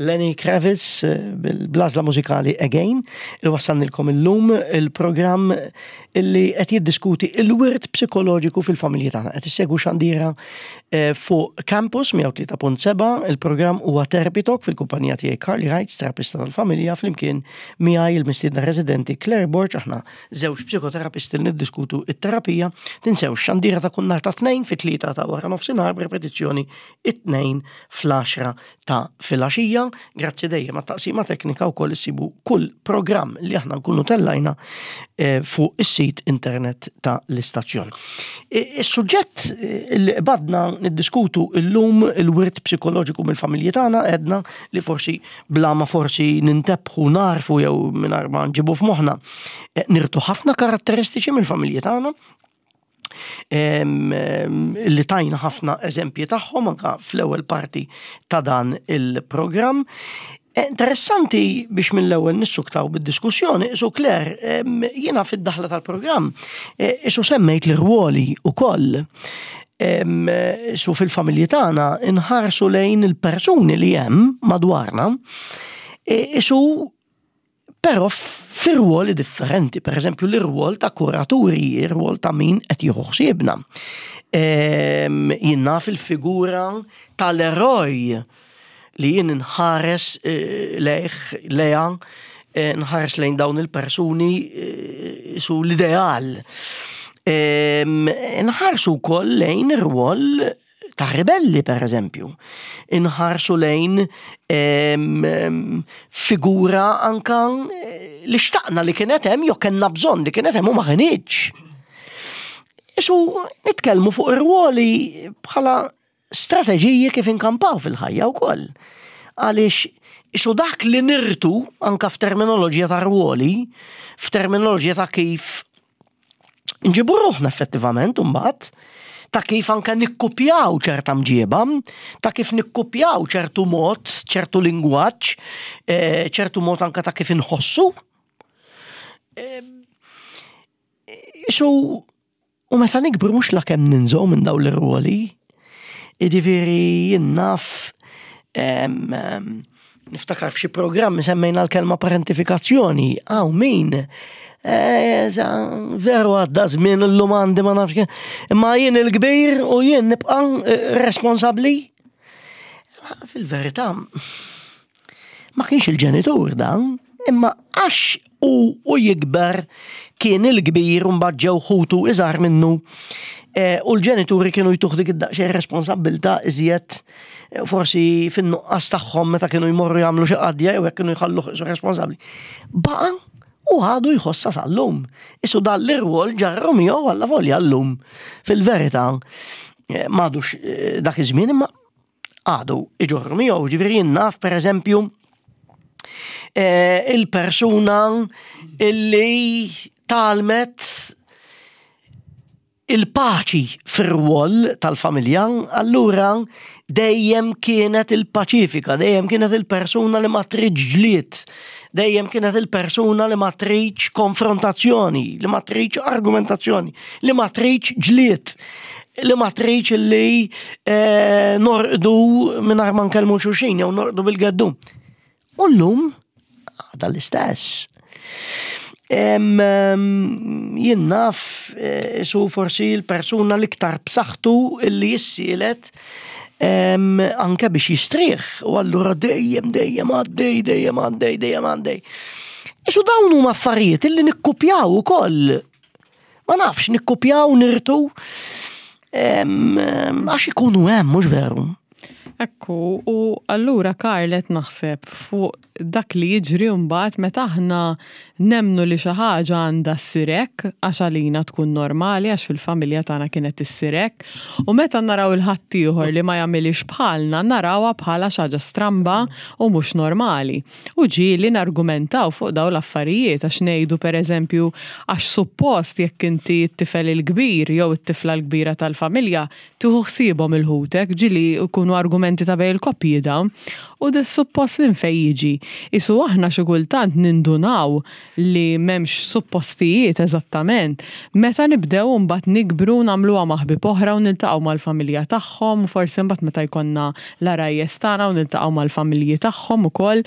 Lenny Kravitz eh, bil-blażla mużikali Again il wassannilkom illum il-programm illi qed jiddiskuti il-wirt psikoloġiku fil-familji tagħna. Qed issegwu xandira eh, fuq Campus 103.7, il-programm huwa Therapy Talk fil-kumpanija tiegħi Carly Heights, terapista tal-familja, flimkien miegħi il-mistiedna residenti Claire Borg, aħna żewġ psikoterapisti li niddiskutu it-terapija. Tinsew xandira ta' kull nhar ta' tnejn fit-tlieta ta' wara nofsinhar b'repetizzjoni it-tnejn fl-10 ta' filgħaxija. Grazzi dejjem għat-taqsima teknika wkoll issibu kull programm li aħna nkunu tellajna eh, fuq is-sit internet ta' l-istazzjon. Is-suġġett eh, li qbadna niddiskutu illum il-wirt psikoloġiku mill-familji tagħna għedna li forsi bla ma forsi nintebħu narfu jew mingħajr ma nġibu f'moħħna eh, nirtu ħafna karatteristiċi mill-familji tagħna li tajna ħafna eżempji tagħhom anka fl-ewwel parti ta' dan il-programm. Eh, interessanti biex mill-ewwel nissuktaw bid-diskussjoni, isu Claire, jiena fid-daħla tal-programm, eh, isu semmejt l-irwoli ukoll. Su fil-familji tagħna inħarsu lejn il-persuni li hemm madwarna, e, isu però fir-rwoli differenti, per eżempju l-irwol ta' kuraturi, ir-rwol ta' min qed jieħu ħsiebna. Jien naf il-figura tal-eroj li jien nħares eh, lejh, leja, eh, nħares lejn dawn il-persuni eh, su l-ideal. Nħarsu wkoll lejn ir-rwol ta' ribelli per eżempju. Inħarsu lejn figura anka eh, li xtaqna li kienet hemm jew kellna bżonn li kienet hemm u ma kinitx. Isu nitkellmu fuq ir-ruoli bħala strateġiji kif inkampaw fil-ħajja wkoll. Għaliex isu dak li nirtu anka f'terminoloġija ta' rwoli, f'terminoloġija ta' kif nġibu ruħna effettivament imbagħad ta' kif anke nikkupjaw ċerta mġieba, ta' kif nikkupjaw ċertu mod, ċertu lingwaġġ, eh, ċertu mod anke ta' kif inħossu. Eh, isu, u meta nikbru mhux la kemm ninżgħu minn dawn l-irwoli, jiġifieri jien naf Niftakar f'xi programmi semmejna l-kelma parentifikazzjoni, hawn min eh, veru għadda żmien illum għandi ma nafx imma jien il-kbir u jien nibqa' eh, responsabbli. Fil-verità ma kienx il-ġenitur dan, imma għax u u jikber kien il-kbir u mbagħad ġew ħutu iżgħar minnu eh, u l-ġenituri kienu jtuh dik id-daqsxejn responsabbiltà iżjed eh, forsi fin-nuqqas tagħhom meta kienu jmorru jagħmlu xi qadja jew hekk kienu jħalluh isu responsabbli. Baqa' u għadu jħossa sal-lum. Isu dan l-irwol ġarru miegħu għalla volja llum. Fil-verità eh, m'għadux dak iż-żmien imma għadu iġorru miegħu, ġifieri jien naf pereżempju eh, il-persuna illi talmet il-paċi fir-rwol tal-familja, allura dejjem kienet il-paċifika, dejjem kienet il-persuna li ma tridx ġlied, dejjem kienet il-persuna li ma tridx konfrontazzjoni, li ma tridx argumentazzjoni, li ma tridx ġlied. li ma tridx li eh, norqdu mingħajr ma nkellmu xulxin jew norqdu bil-geddu. U llum għadha l-istess. Jien naf eh, su forsi l-persuna l-iktar b'saħħtu li jissielet anke biex jistrieħ u allura dejjem dejjem għaddej dejjem għaddej dejjem għaddej. Isu dawn huma affarijiet illi nikkupjaw ukoll Ma nafx, nikkupjaw, nirtu, għax ikunu hemm, mhux veru. Ekku, u allura Karl qed naħseb fuq dak li jiġri mbagħad meta aħna nemmnu li xi ħaġa għandha ssir hekk għax għalina tkun normali għax fil-familja tagħna kienet issir hekk, u meta naraw il-ħaddieħor li ma jagħmilhiex bħalna narawha bħala xi ħaġa stramba u mhux normali. U ġieli nargumentaw fuq dawn l-affarijiet għax ngħidu pereżempju għax suppost jekk inti t-tifel il-kbir jew it-tifla l-kbira tal-familja tieħu ħsiebhom il-ħutek, ġieli jkunu argumenti. Argumenti ta' bejn il-koppji dawn. U da suppost minn fejn jiġi? Isu aħna xi kultant nindunaw li m'hemmx suppostijiet eżattament meta nibdew imbagħad nikbru u nagħmluha ma' ħbieb oħra u niltaqgħu mal-familja tagħhom u forsi mbagħad meta jkollna l-għarajjes tagħna u niltaqgħu mal-familji tagħhom ukoll.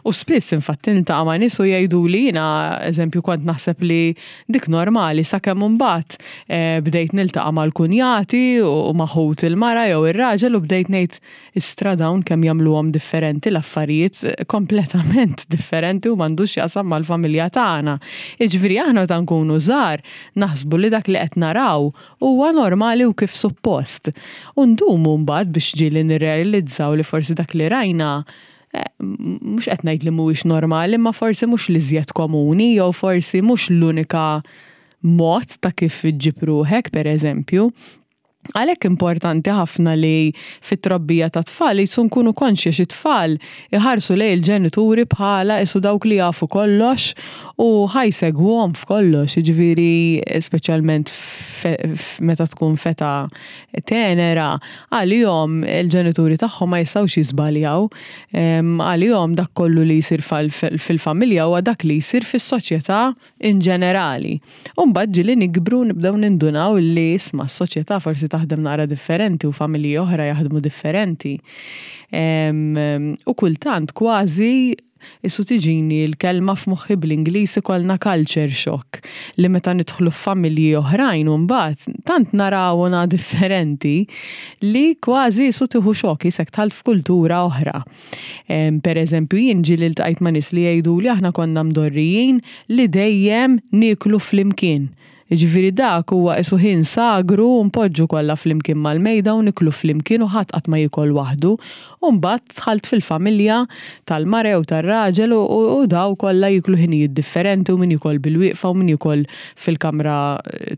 U spiss infatti niltaqa' ma' nies u jgħiduli jiena eżempju kont naħseb li dik normali sakemm imbagħad eh, bdejt niltaqa' mal-kunjati u ma' ħut il-mara jew ir-raġel u bdejt ngħid istra dawn kemm jagħmluhom differenti l-affarijiet eh, kompletament differenti u m'għandux x'jaqsam mal-familja tagħna. Jiġifieri aħna meta nkunu żgħar naħsbu li dak li qed naraw huwa normali u kif suppost. U ndumu mbagħad biex ġieli nirrealizzaw li forsi dak li rajna Eh, mhux qed ngħid li mhuwiex normali, imma forsi mhux l-iżjed komuni jew forsi mhux l-unika mod ta' kif iġġib ruħek, per eżempju. Għalhekk importanti ħafna li fit-trobbija ta' tfal jisu nkunu konxji xi tfal iħarsu lejn il-ġenituri bħala isu dawk li jafu kollox u ħa jsegwuhom f'kollox, jiġifieri speċjalment meta tkun feta tenera, għalihom il-ġenituri tagħhom ma jistgħux jiżbaljaw. Għalihom dak kollu li jsir fil-familja huwa dak li jsir fis-soċjetà in ġenerali. U mbagħad ġieli nikbru nibdew nindunaw li isma' s-soċjetà forsi taħdem naqra differenti u familji oħra jaħdmu differenti. U kultant kważi Isu tiġini l-kelma f'moħħi bl-Ingliż ikollna culture shock li meta nidħlu f'familji oħrajn u mbagħad tant narawna differenti li kważi isu tieħu xokk qisek dħalt f'kultura oħra. Per eżempju jien ġieli ltqajt ma' nies li jgħiduli aħna konna mdorrijin li dejjem nieklu flimkien. Jiġifieri dak huwa qisu ħin sagru u npoġġu kollha flimkien mal-mejda u niklu flimkien u ħadd qatt ma jiekol waħdu. U mbagħad dħalt fil-familja tal-mara jew tar-raġel u daw kollha jieklu ħinijiet differenti u min jiekol bilwieqfa u min jiekol fil-kamra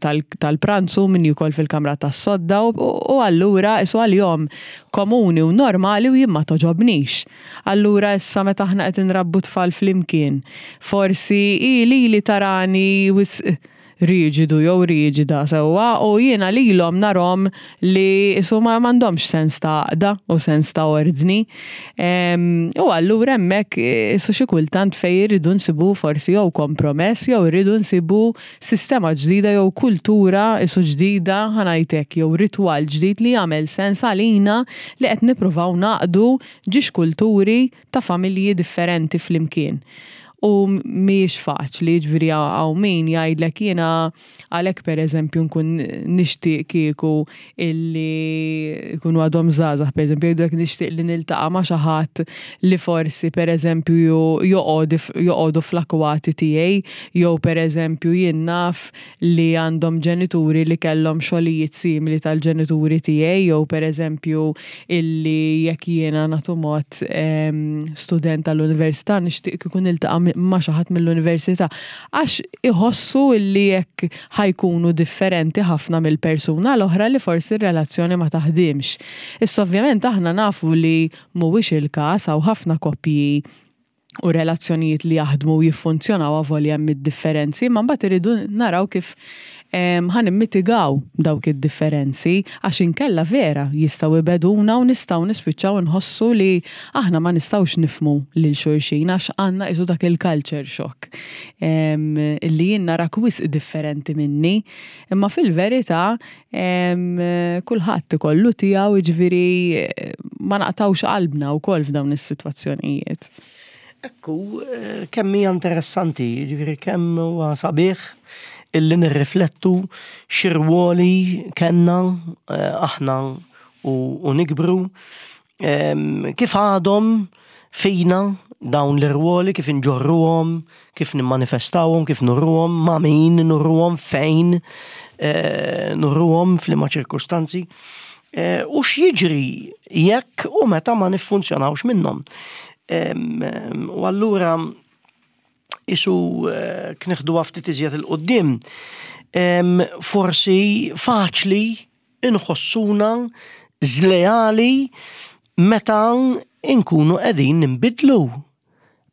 tal-pranzu u min jiekol fil-kamra tas-sodda u allura qisu għalihom komuni u normali u jien ma togħġobnix. Allura issa meta aħna qed inrabbu tfal flimkien, forsi hi lili tarani wisq riġidu jew riġida sewwa u jiena lilhom narhom li qisu ma m'għandhomx sens ta' għaqda u sens ta' ordni. U allura hemmhekk qisu xi kultant fejn irridu nsibu forsi jew kompromess jew irridu nsibu sistema ġdida jew kultura qisu ġdida ħa ngħid hekk jew ritwal ġdid li jagħmel sens għalina li qed nippruvaw ngħaqqdu ġiex kulturi ta' familji differenti flimkien. U mhijiex faċli, jiġifieri hawn min jgħidlek jiena għalhekk pereżempju nkun nixtieq kieku illi jkunu għadhom żgħażagħ pereżempju jgħidulek nixtieq li niltaqa' ma' xi ħadd li forsi pereżempju joqogħdu fl-akwati tiegħi jew pereżempju jien naf li għandhom ġenituri li kellhom xogħlijiet simili tal-ġenituri tiegħi jew pereżempju illi jekk jiena nagħtu mod student tal-università nixtieq kieku niltaqa' ma' xi ħadd mill-università. Għax iħossu illi jekk ħa jkunu differenti ħafna mill-persuna l-oħra li forsi r-relazzjoni ma taħdimx. Issa ovvjament aħna nafu li mhuwiex il-każ hawn ħafna koppji u relazzjonijiet li jaħdmu u jiffunzjonaw avolja hemm id-differenzi, imma mbagħad irridu naraw kif ħa nimmitigaw dawk id-differenzi għax inkella vera jistgħu jbegħduna u nistgħu nispiċċaw inħossu li aħna ma nistgħux nifhmu lil xulxin għax għandna qisu dak il-culture shock illi jien narak wisq differenti minni. Imma fil-verità Kulħadd ikollu tiegħu, jiġifieri ma naqtgħux qalbna wkoll f'dawn is-sitwazzjonijiet. Ekku, kemm hija interessanti, jiġifieri kemm huwa sabiħ illi nirriflettu x'irwoli kellna eh, aħna u nikbru Kif għadhom fina dawn l-irwoli, kif inġorruhom, kif nimmanifestawhom, kif nurruhom, ma' min nurruhom, fejn eh, nurruhom, f'liema ċirkustanzi. Eh, u x'jiġri jekk u meta ma niffunzjonawx minnhom. U allura isu eh, knieħdu ftit iżjed il-qoddim, forsi faċli inħossuna żleali meta nkunu qegħdin ninbidlu.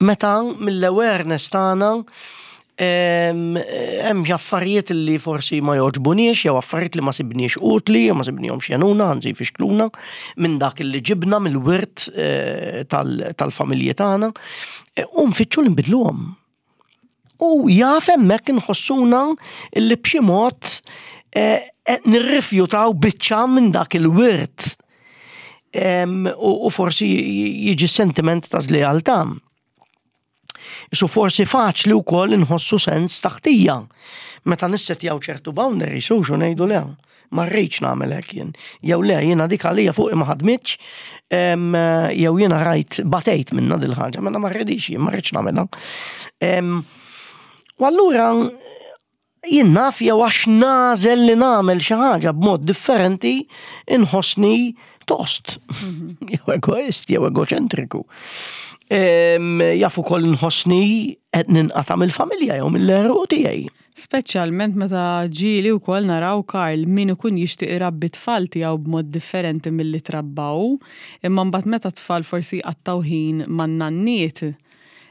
Meta mill-awareness tagħna Hemm xi affarijiet li forsi ma jogħġbuniex jew affarijiet li ma sibniex utli jew ma sibnihomx jgħinuna, anzi jfixkluna minn dak li ġibna mill-wirt eh, tal-familji tagħna eh, u nfittxu li nbidluhom. U jaf hemmhekk inħossuna li b'xi mod eh, nirrifjutaw biċċa minn dak il-wirt. U forsi jiġi sentiment ta' żlealtà. Isu forsi faċli wkoll inħossu sens ta' ħtija meta nissetjaw ċertu boundaries u xu ngħidu le, ma rridx nagħmel hekk jien. Jew le, jiena dik għalija fuqi ma ħadmitx, jew jiena rajt batejt minna dil ħaġa, mela ma rridix jien, ma rridx nagħmilha. U allura Jien naf jew għax nagħżel li nagħmel xi ħaġa b'mod differenti inħossni tost. Mhm. Jew egoist, jew egoċentriku. Jaf ukoll nħossni qed ninqata' mill-familja jew mill-għeruq tiegħi. Speċjalment meta ġieli wkoll naraw Karl min ikun jixtieq irabbi t-tfal tiegħu b'mod differenti milli trabba hu, imma mbagħad meta t-tfal forsi jqattgħu ħin man-nanniet,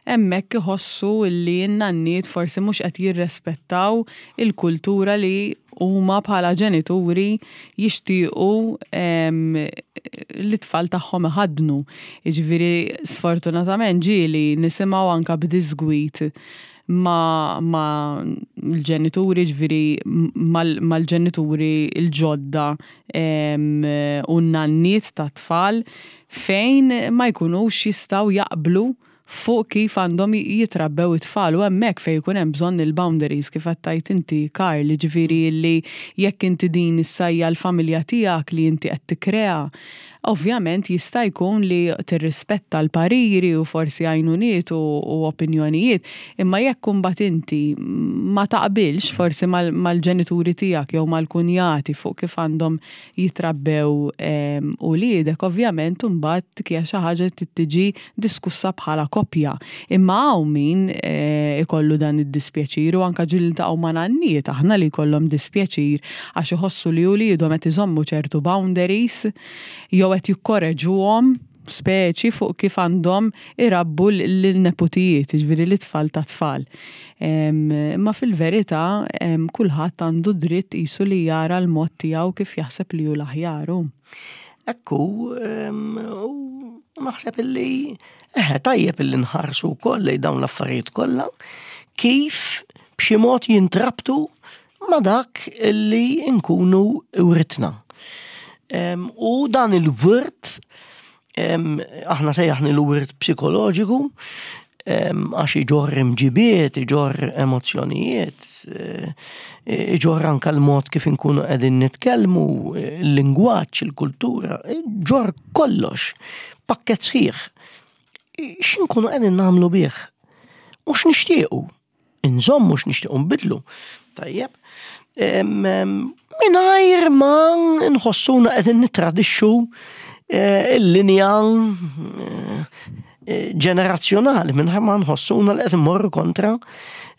hemmhekk iħossu li n-nanniet forsi mhux qed jirrespettaw il-kultura li huma bħala ġenituri jixtiequ li t-tfal tagħhom iħaddnu. Jiġifieri sfortunatament ġieli nisimgħu anke b'diżgwid ma' ma' l-ġenituri, ġifieri mal-ġenituri l-ġodda u n-nanniet tat-tfal fejn ma jkunux jistgħu jaqblu fuq kif għandhom jitrabbew it-tfal u hemmhekk fejn ikun hemm bżonn il-boundaries kif qed tgħid inti Karl, jiġifieri li jekk inti din issa hija l-familja tiegħek li inti qed tikkrea, ovvjament jista' jkun li tirrispetta l-pariri u forsi għajnuniet u opinjonijiet, imma jekk imbagħad inti ma taqbilx forsi mal-ġenituri tiegħek jew mal-kunjati fuq kif għandhom jitrabbew uliedek, ovvjament imbagħad dik hija xi ħaġa li trid tiġi diskussa bħala koppja. Imma hawn min ikollu dan id-dispjaċir u anke ġieli niltaqgħu ma' nanniet aħna li jkollhom dispjaċir għax iħossu li uliedhom qed iżommu ċertu boundaries jew qed jikkoreġuhom speċi fuq kif għandhom irabbu lin-neputijiet, jiġifieri lit-tfal tat-tfal. Imma fil-verità kulħadd għandu dritt qisu li jara l-mod tiegħu kif jaħseb li hu l-aħjar hu. Hekk hu, u naħseb illi eħe tajjeb illi nħarsu wkoll lejn dawn l-affarijiet kollha kif b'xi mod jintrabtu ma' dak li nkunu writna. U dan il-wirt, aħna sejjaħni l-wirt psikoloġiku, għax iġorr imġibiet, iġorr emozzjonijiet, eh, iġorr anka l-mod kif inkunu qegħdin nitkellmu, il-lingwaġġ, il-kultura, iġorr kollox, pakket sħiħ. X'inkunu qegħdin nagħmlu bih? U x'nixtiequ? Inżommu x'nixtiequ nbidlu. Tajjeb. Mingħajr ma nħossuna qegħdin nittradixxu eh, il-linja eh, ġenerazzjonali mingħajr ma nħossuna li qed immorru kontra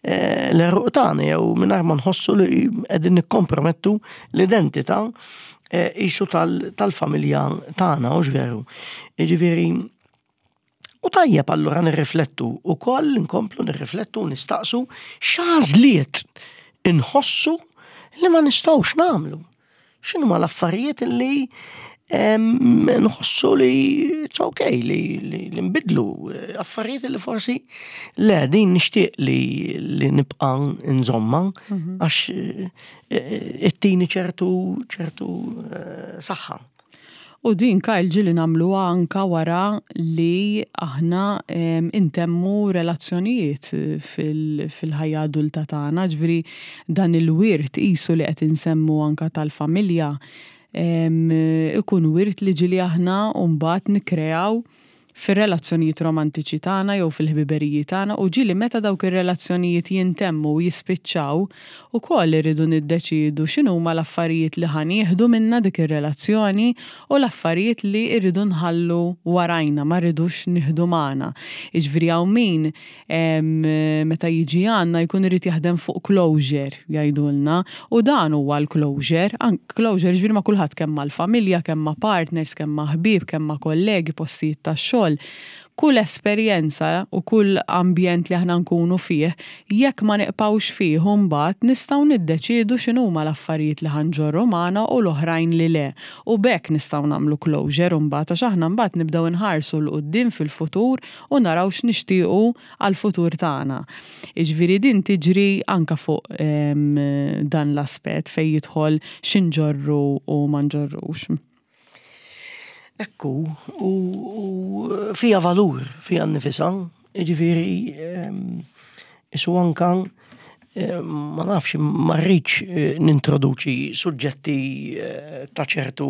eh, l-eruq tagħna jew mingħajr ma nħossu li qegħdin nikkompromettu l-identità isu tal-familja tagħna, u veru. Jiġifieri U tajjeb allura nirriflettu wkoll, nkomplu nirriflettu u nistaqsu x'għażliet inħossu li ma nistgħux nagħmlu. X'inhuma l-affarijiet li nħossu li it's okay li, li, li nbidlu affarijiet li forsi le din nixtieq li, li nibqa' nżomma mhm. għax eh, eh, ittini ċertu ċertu eh, saħħa. U din Kyle ġieli nagħmluha anka wara li aħna intemmu relazzjonijiet fil-ħajja adulta tagħna, ġifieri dan il-wirt qisu li qed insemmu anka tal-familja ikun wirt li ġieli aħna mbagħad nikkreaw fir-relazzjonijiet romantiċi tagħna jew fil-ħbiberiji tagħna u ġieli meta dawk ir-relazzjonijiet jintemmu u jispiċċaw, ukoll irridu niddeċiedu x'inhuma l-affarijiet li ħa nieħdu minnha dik ir-relazzjoni u l-affarijiet li rridu nħallu warajna, ma rridux nieħdu magħna. Jiġifieri hawn min meta jiġi għandna jkun irid jaħdem fuq closure jgħidulna u dan huwa l-closure. Closure ġifieri ma' kulħadd kemm mal-familja, kemm ma' partners, kemm ma' ħbieb, kemm ma' kollegi, postijiet tax-xogħol. Kull esperjenza u kull ambjent li aħna nkunu fih, jekk ma niqpgħux fih imbagħad nistgħu niddeċiedu x'inhuma l-affarijiet li ħa nġorru magħna u l-oħrajn li le. U b'hekk nistgħu nagħmlu closure imbagħad għax aħna mbagħad nibdew inħarsu 'l quddiem fil-futur u naraw x'nixtiequ għall-futur tagħna. Jiġifieri din tiġri anke fuq dan l-aspett fejn jidħol x'inġorru u ma nġorrux. Ekku, u fija valur fija nnifisha, jiġifieri isu anka ma nafx ma rridx nintroduċi suġġetti ta' ċertu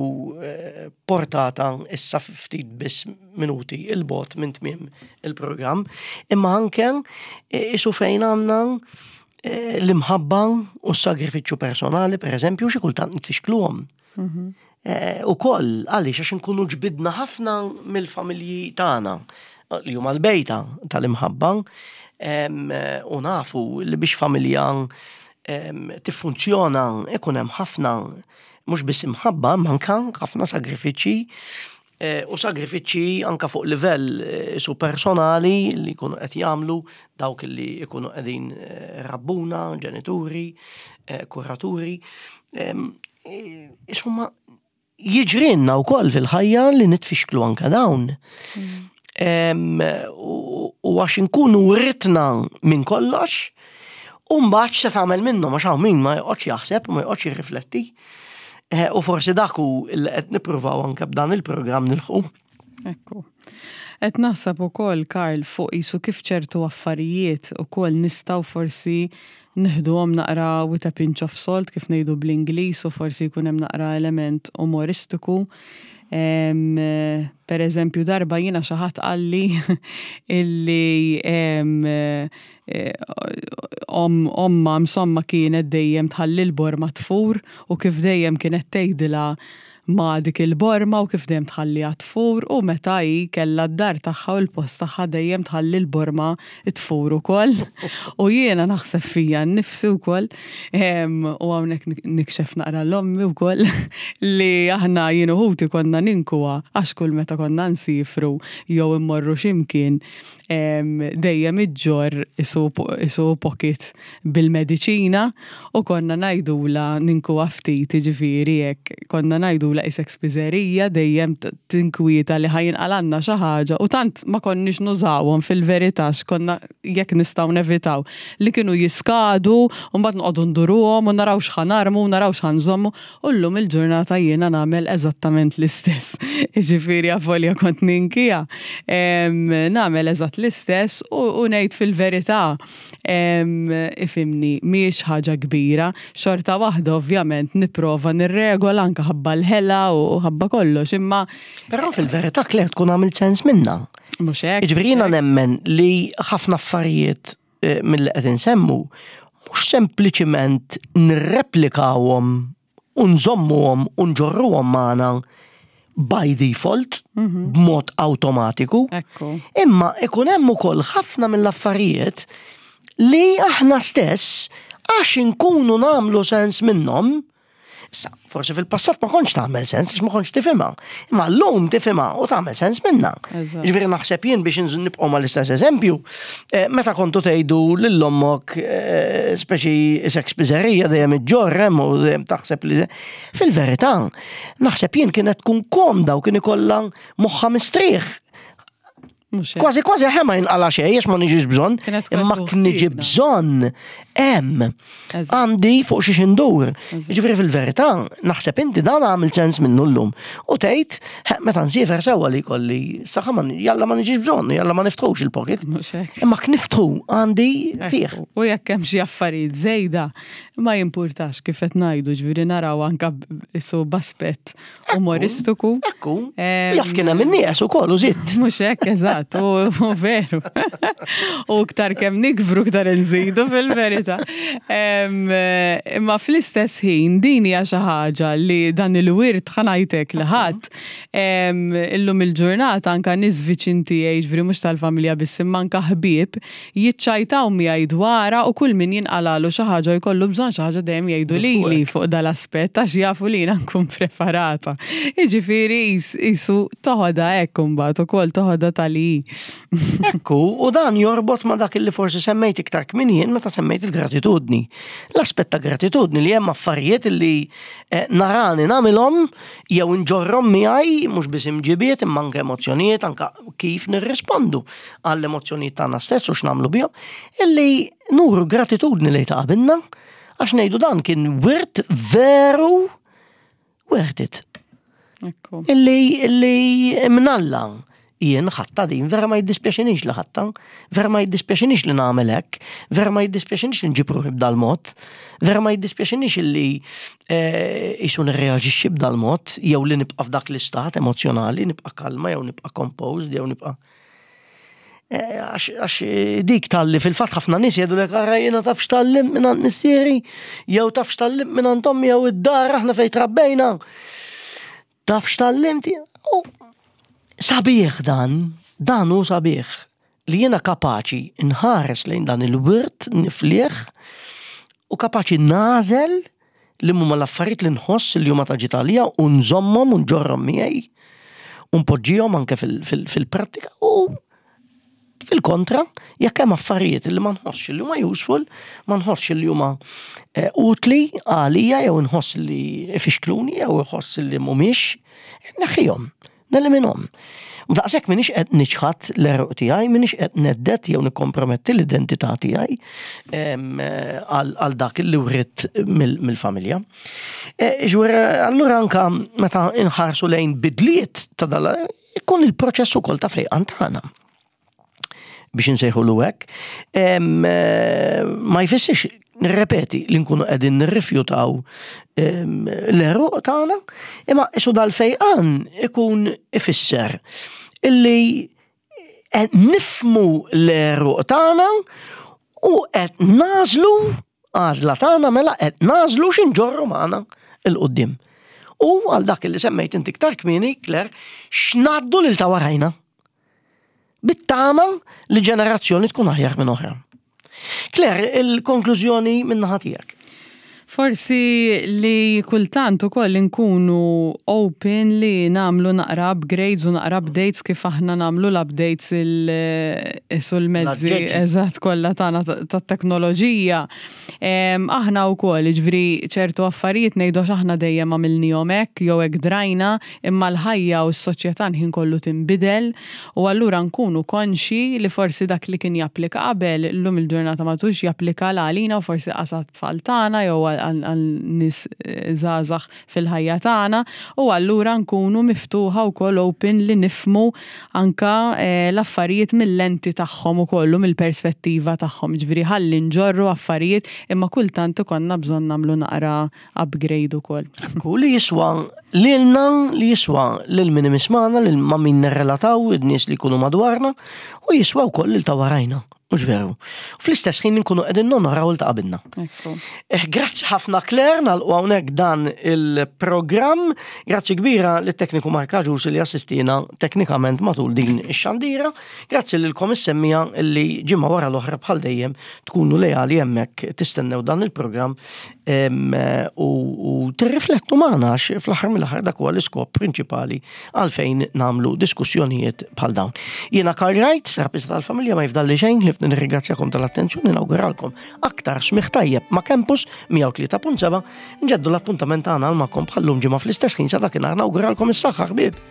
portata issa ftit biss minuti 'il bogħod minn tmiem il-programm, imma anke isu fejn għandna l-imħabba u s-sagrifiċċju personali, pereżempju, xi kultant nitfixkluhom. Mhm. Eh, u koll, għaliex għax nkunu ġbidna ħafna mill-familji tagħna li huma l-bejta tal-imħabba u nafu li biex familja tiffunzjona ikun hemm ħafna mhux biss imħabba, imma anke ħafna sagrifiċċji eh, u sagrifiċċji anka fuq livell eh, su personali li jkunu qed jagħmlu dawk li jkunu qegħdin rabbuna, ġenituri, kuraturi. Insomma, jiġrinna wkoll fil-ħajja li nitfixklu anka dawn. Mm. U għax inkunu ritna minn kollox, u mbagħad se tagħmel minnhom għax hawn min ma joqgħodx jaħseb u ma joqgħodx jirrifletti. Eh, u forsi dak hu li qed nippruvaw anke b'dan il-programm nilħu. Ekku. Qed naħseb ukoll, Karl, fuq qisu kif ċertu affarijiet ukoll nistgħu forsi neħduhom naqra with a pinch of salt kif ngħidu bl-Ingliż u forsi jkun hemm naqra element umoristiku. Per eżempju, darba jiena xi ħadd qalli illi eh, ommha insomma kienet dejjem tħalli l-borma tfur u kif dejjem kienet tgħidilha ma' dik il-borma u kif dejjem tħalliha tfur u meta hi kellha d-dar tagħha u l-post tagħha dejjem tħalli l-borma tfur ukoll. U jiena naħseb fija nnifsi wkoll u hawnhekk nikxef naqra l-ommi wkoll li aħna jien u ħuti konna ninkuha għax kull meta konna nsifru jew immorru xi mkien dejjem iġġorr isu pocket bil-mediċina u konna ngħidulha ninkuha ftit jiġifieri hekk konna ngħidulha qisek spiżerija dejjem tinkwieta li ħa jinqalgħalna xi ħaġa u tant ma konniex nużawhom fil-verità x'konna jekk nistgħu nevitaw li kienu jiskadu u mbagħad noqogħdu nduruhom u naraw x'ħa narmu u naraw x'ħa nżommu U llum il-ġurnata jiena nagħmel eżattament l-istess. Jiġifieri avolja kont ninkija, nagħmel eżatt l-istess u ngħid fil-verità ifhimni mhijiex ħaġa kbira. Xorta waħda ovvjament nipprova nirregola anke ħabba l-ħela u ħabba kollox imma. Però fil-verità Claire tkun għamilt sens minnha. Mhux hekk. Jiġifieri jiena nemmen li ħafna affarijiet Eh, mill-li qed insemmu, mhux sempliċiment nirreplikawhom u nżommuhom u nġorruhom magħna by default, mhm. b'mod awtomatiku. Imma ikun hemm ukoll ħafna mill-affarijiet li aħna stess għax inkunu nagħmlu sens minnhom, Issa, forsi fil-passat ma kontx tagħmel sens għax ma kontx tifhimha. Imma llum tifhimha u tagħmel sens minnha. Ġifieri naħseb jien biex nibqgħu mal-istess eżempju, eh, meta kontu tgħidu lil ommok eh, speċi isek spiżerija dejjem iġġorr hemm u dejjem taħseb li fil-verità naħseb jien kienet tkun komda u kien ikollha moħħa mistrieħ Kważi kważi ħe ma jinqala xejn għax ma niġix bżonn, imma kien niġi bżonn hemm għandi fuq xiex indur. Ġifieri fil-verità naħseb inti dan għamil sens minnu llum. U tgħid meta nsiefer sewwa li jkolli saħħa ma jalla ma niġix bżonn, jalla ma niftħux il-pocket. Imma kniftħu għandi fih. U jekk hemm xi affarijiet żejda, ma jimpurtax kif qed ngħidu, ġifieri naraw anke isu b'aspett umoristiku. Ekku, jaf kien hemm in-nies ukoll u żitt. Mhux hekk eżatt, u veru. U iktar kemm nikbru iktar inżidu fil-verità. Imma fl-istess ħin din hija xi ħaġa li dan il-wirt ħanajtek li ħadd illum il-ġurnata anka nies viċin tiegħi, ġifieri mhux tal-familja biss imma anka ħbieb jiċċajtaw miegħi dwarha u kull min jinqalagħlu xi ħaġa u jkollu bżonn xi ħaġa dejjem jgħidu lili fuq dal-aspett għax jafu li jiena nkun preparata. Jiġifieri qisu toħodha hekk imbagħad ukoll toħodha ta' li hi. Ekku, u dan jorbot ma dak li forsi semmejt iktar kmieni jien meta semmejt il-gratitudni. L-aspett ta' gratitudni li hemm affarijiet li eh, narani nagħmilhom jew nġorrhom miegħi mhux biss imġibiet imma anke emozzjonijiet anke kif nirrispondu għall-emozzjonijiet tagħna stess u x'nagħmlu bihom, illi nuru gratitudni lejn ta' qabilna għax ngħidu dan kien wirt veru worth it. Illi illi mnalla jien ħatta din, vera ma jiddispjaċinix li ħatta, vera ma jiddispjaċinix li nagħmel hekk, vera ma jiddispjaċinix li nġib ruħi b'dal-mod, vera ma jiddispjaċinix li eh, jisu nirreaġixxi b'dal-mod, jew li nibqa' f'dak l-istat emozjonali, nibqa' kalma, jew nibqa' composed, jew nibqa' eh, għax eh, dik tal-li fil-fat ħafna nies jgħidu lek ara jiena taf x'tallim minn missieri, jew taf x'tallim minn ommi jew id-dar aħna fejn trabbejna. Taf x'tgħallimt? U sabiħ dan, dan hu sabiħ li jiena kapaċi nħares lejn dan il-wirt niflih u kapaċi nagħżel li huma l-affarijiet li nħoss li huma ta' ġid għalija u nżommhom u nġorrhom miegħi u npoġġihom anke fil-prattika u Fil-kontra, jekk hemm affarijiet li ma nħossx li huma useful, ma nħossx li huma eh, utli għalija jew nħoss li ifixkluni jew nħoss li mhumiex, neħħihom, neliminhom. U daqshekk m'iniex qed niċħad l-eruq tiegħi, m'iniex qed neddet jew nikkomprometti l-identità tiegħi eh, għal dak li writt mill-familja. Eh, ġwir, allura anka meta inħarsu lejn bidliet ta' dal ikun il-proċess ukoll ta' fejqan tagħna biex insejħulu hekk, eh, ma jfissirx nirrepeti li nkunu qegħdin nirrifjutaw l-eruq tagħna, imma isu dal-fejqan ikun ifisser illi qed nifmu l-eruq tagħna u qed nażlu Għażla tagħna mela qed nagħżlu x'inġorru magħna 'l quddiem. U għal dak li semmejt inti iktar kmieni, Claire, x'ngħaddu lil ta' warajna. Bit-tama li ġenerazzjoni tkun aħjar minn oħra. Claire, il-konklużjoni min-naħa tiegħek. Forsi li kultant ukoll inkunu open li nagħmlu naqra upgrades u naqra updates kif aħna nagħmlu l-updates sul-mezzi eżatt kollha tagħna tat-teknoloġija. Aħna wkoll, jiġifieri ċertu affarijiet ngħidu għax aħna dejjem għamilnihom hekk jew hekk drajna, imma l-ħajja u s-soċjetà l-ħin kollu tinbidel u allura nkunu konxji li forsi dak li kien japplika qabel illum il-ġurnata m'għadux japplika la għalina u forsi qas għat-tfal tagħna jew għal nies żgħażagħ fil-ħajja tagħna u allura nkunu miftuħa wkoll open li nifhmu anke l-affarijiet mil-lenti tagħhom ukoll u mill-perspettiva tagħhom. Jiġifieri ħalli nġorru affarijiet imma kultant ikollna bżonn nagħmlu naqra upgrade ukoll. Ekku, li jiswa lilna, li jiswa lil min imismana, lil ma' min nirrelataw, in-nies li jkunu madwarna, u jiswa wkoll lil ta' warajna. Mhux veru. Fl-istess ħin nkunu qegħdin nonoraw il ta' qabilna. Eh, grazzi ħafna Claire, nagħlqu hawnhekk dan il-programm. Grazzi kbira lit tekniku Mark Aġus li assistina teknikament matul din ix-xandira. Grazzi lilkom is-semmija li ġimgħa wara l-oħra bħal dejjem tkunu leali hemmhekk tistennew dan il-programm u tirriflettu magħna għax fl-aħħar mill-aħħar dak huwa l-iskop prinċipali għalfejn nagħmlu diskussjonijiet bħal dawn. Jiena Karl Wright, terapista tal-familja ma jifdalli xejn ħlief nirringrazzjakom tal-attenzjoni nawguralkom aktar smigħ tajjeb ma' Campus 103.7 nġeddu l-appuntament tagħna għal magħkom bħallum ġimgħa fl-istess ħin sa dakinhar nawguralkom is-saħħa ħbieb.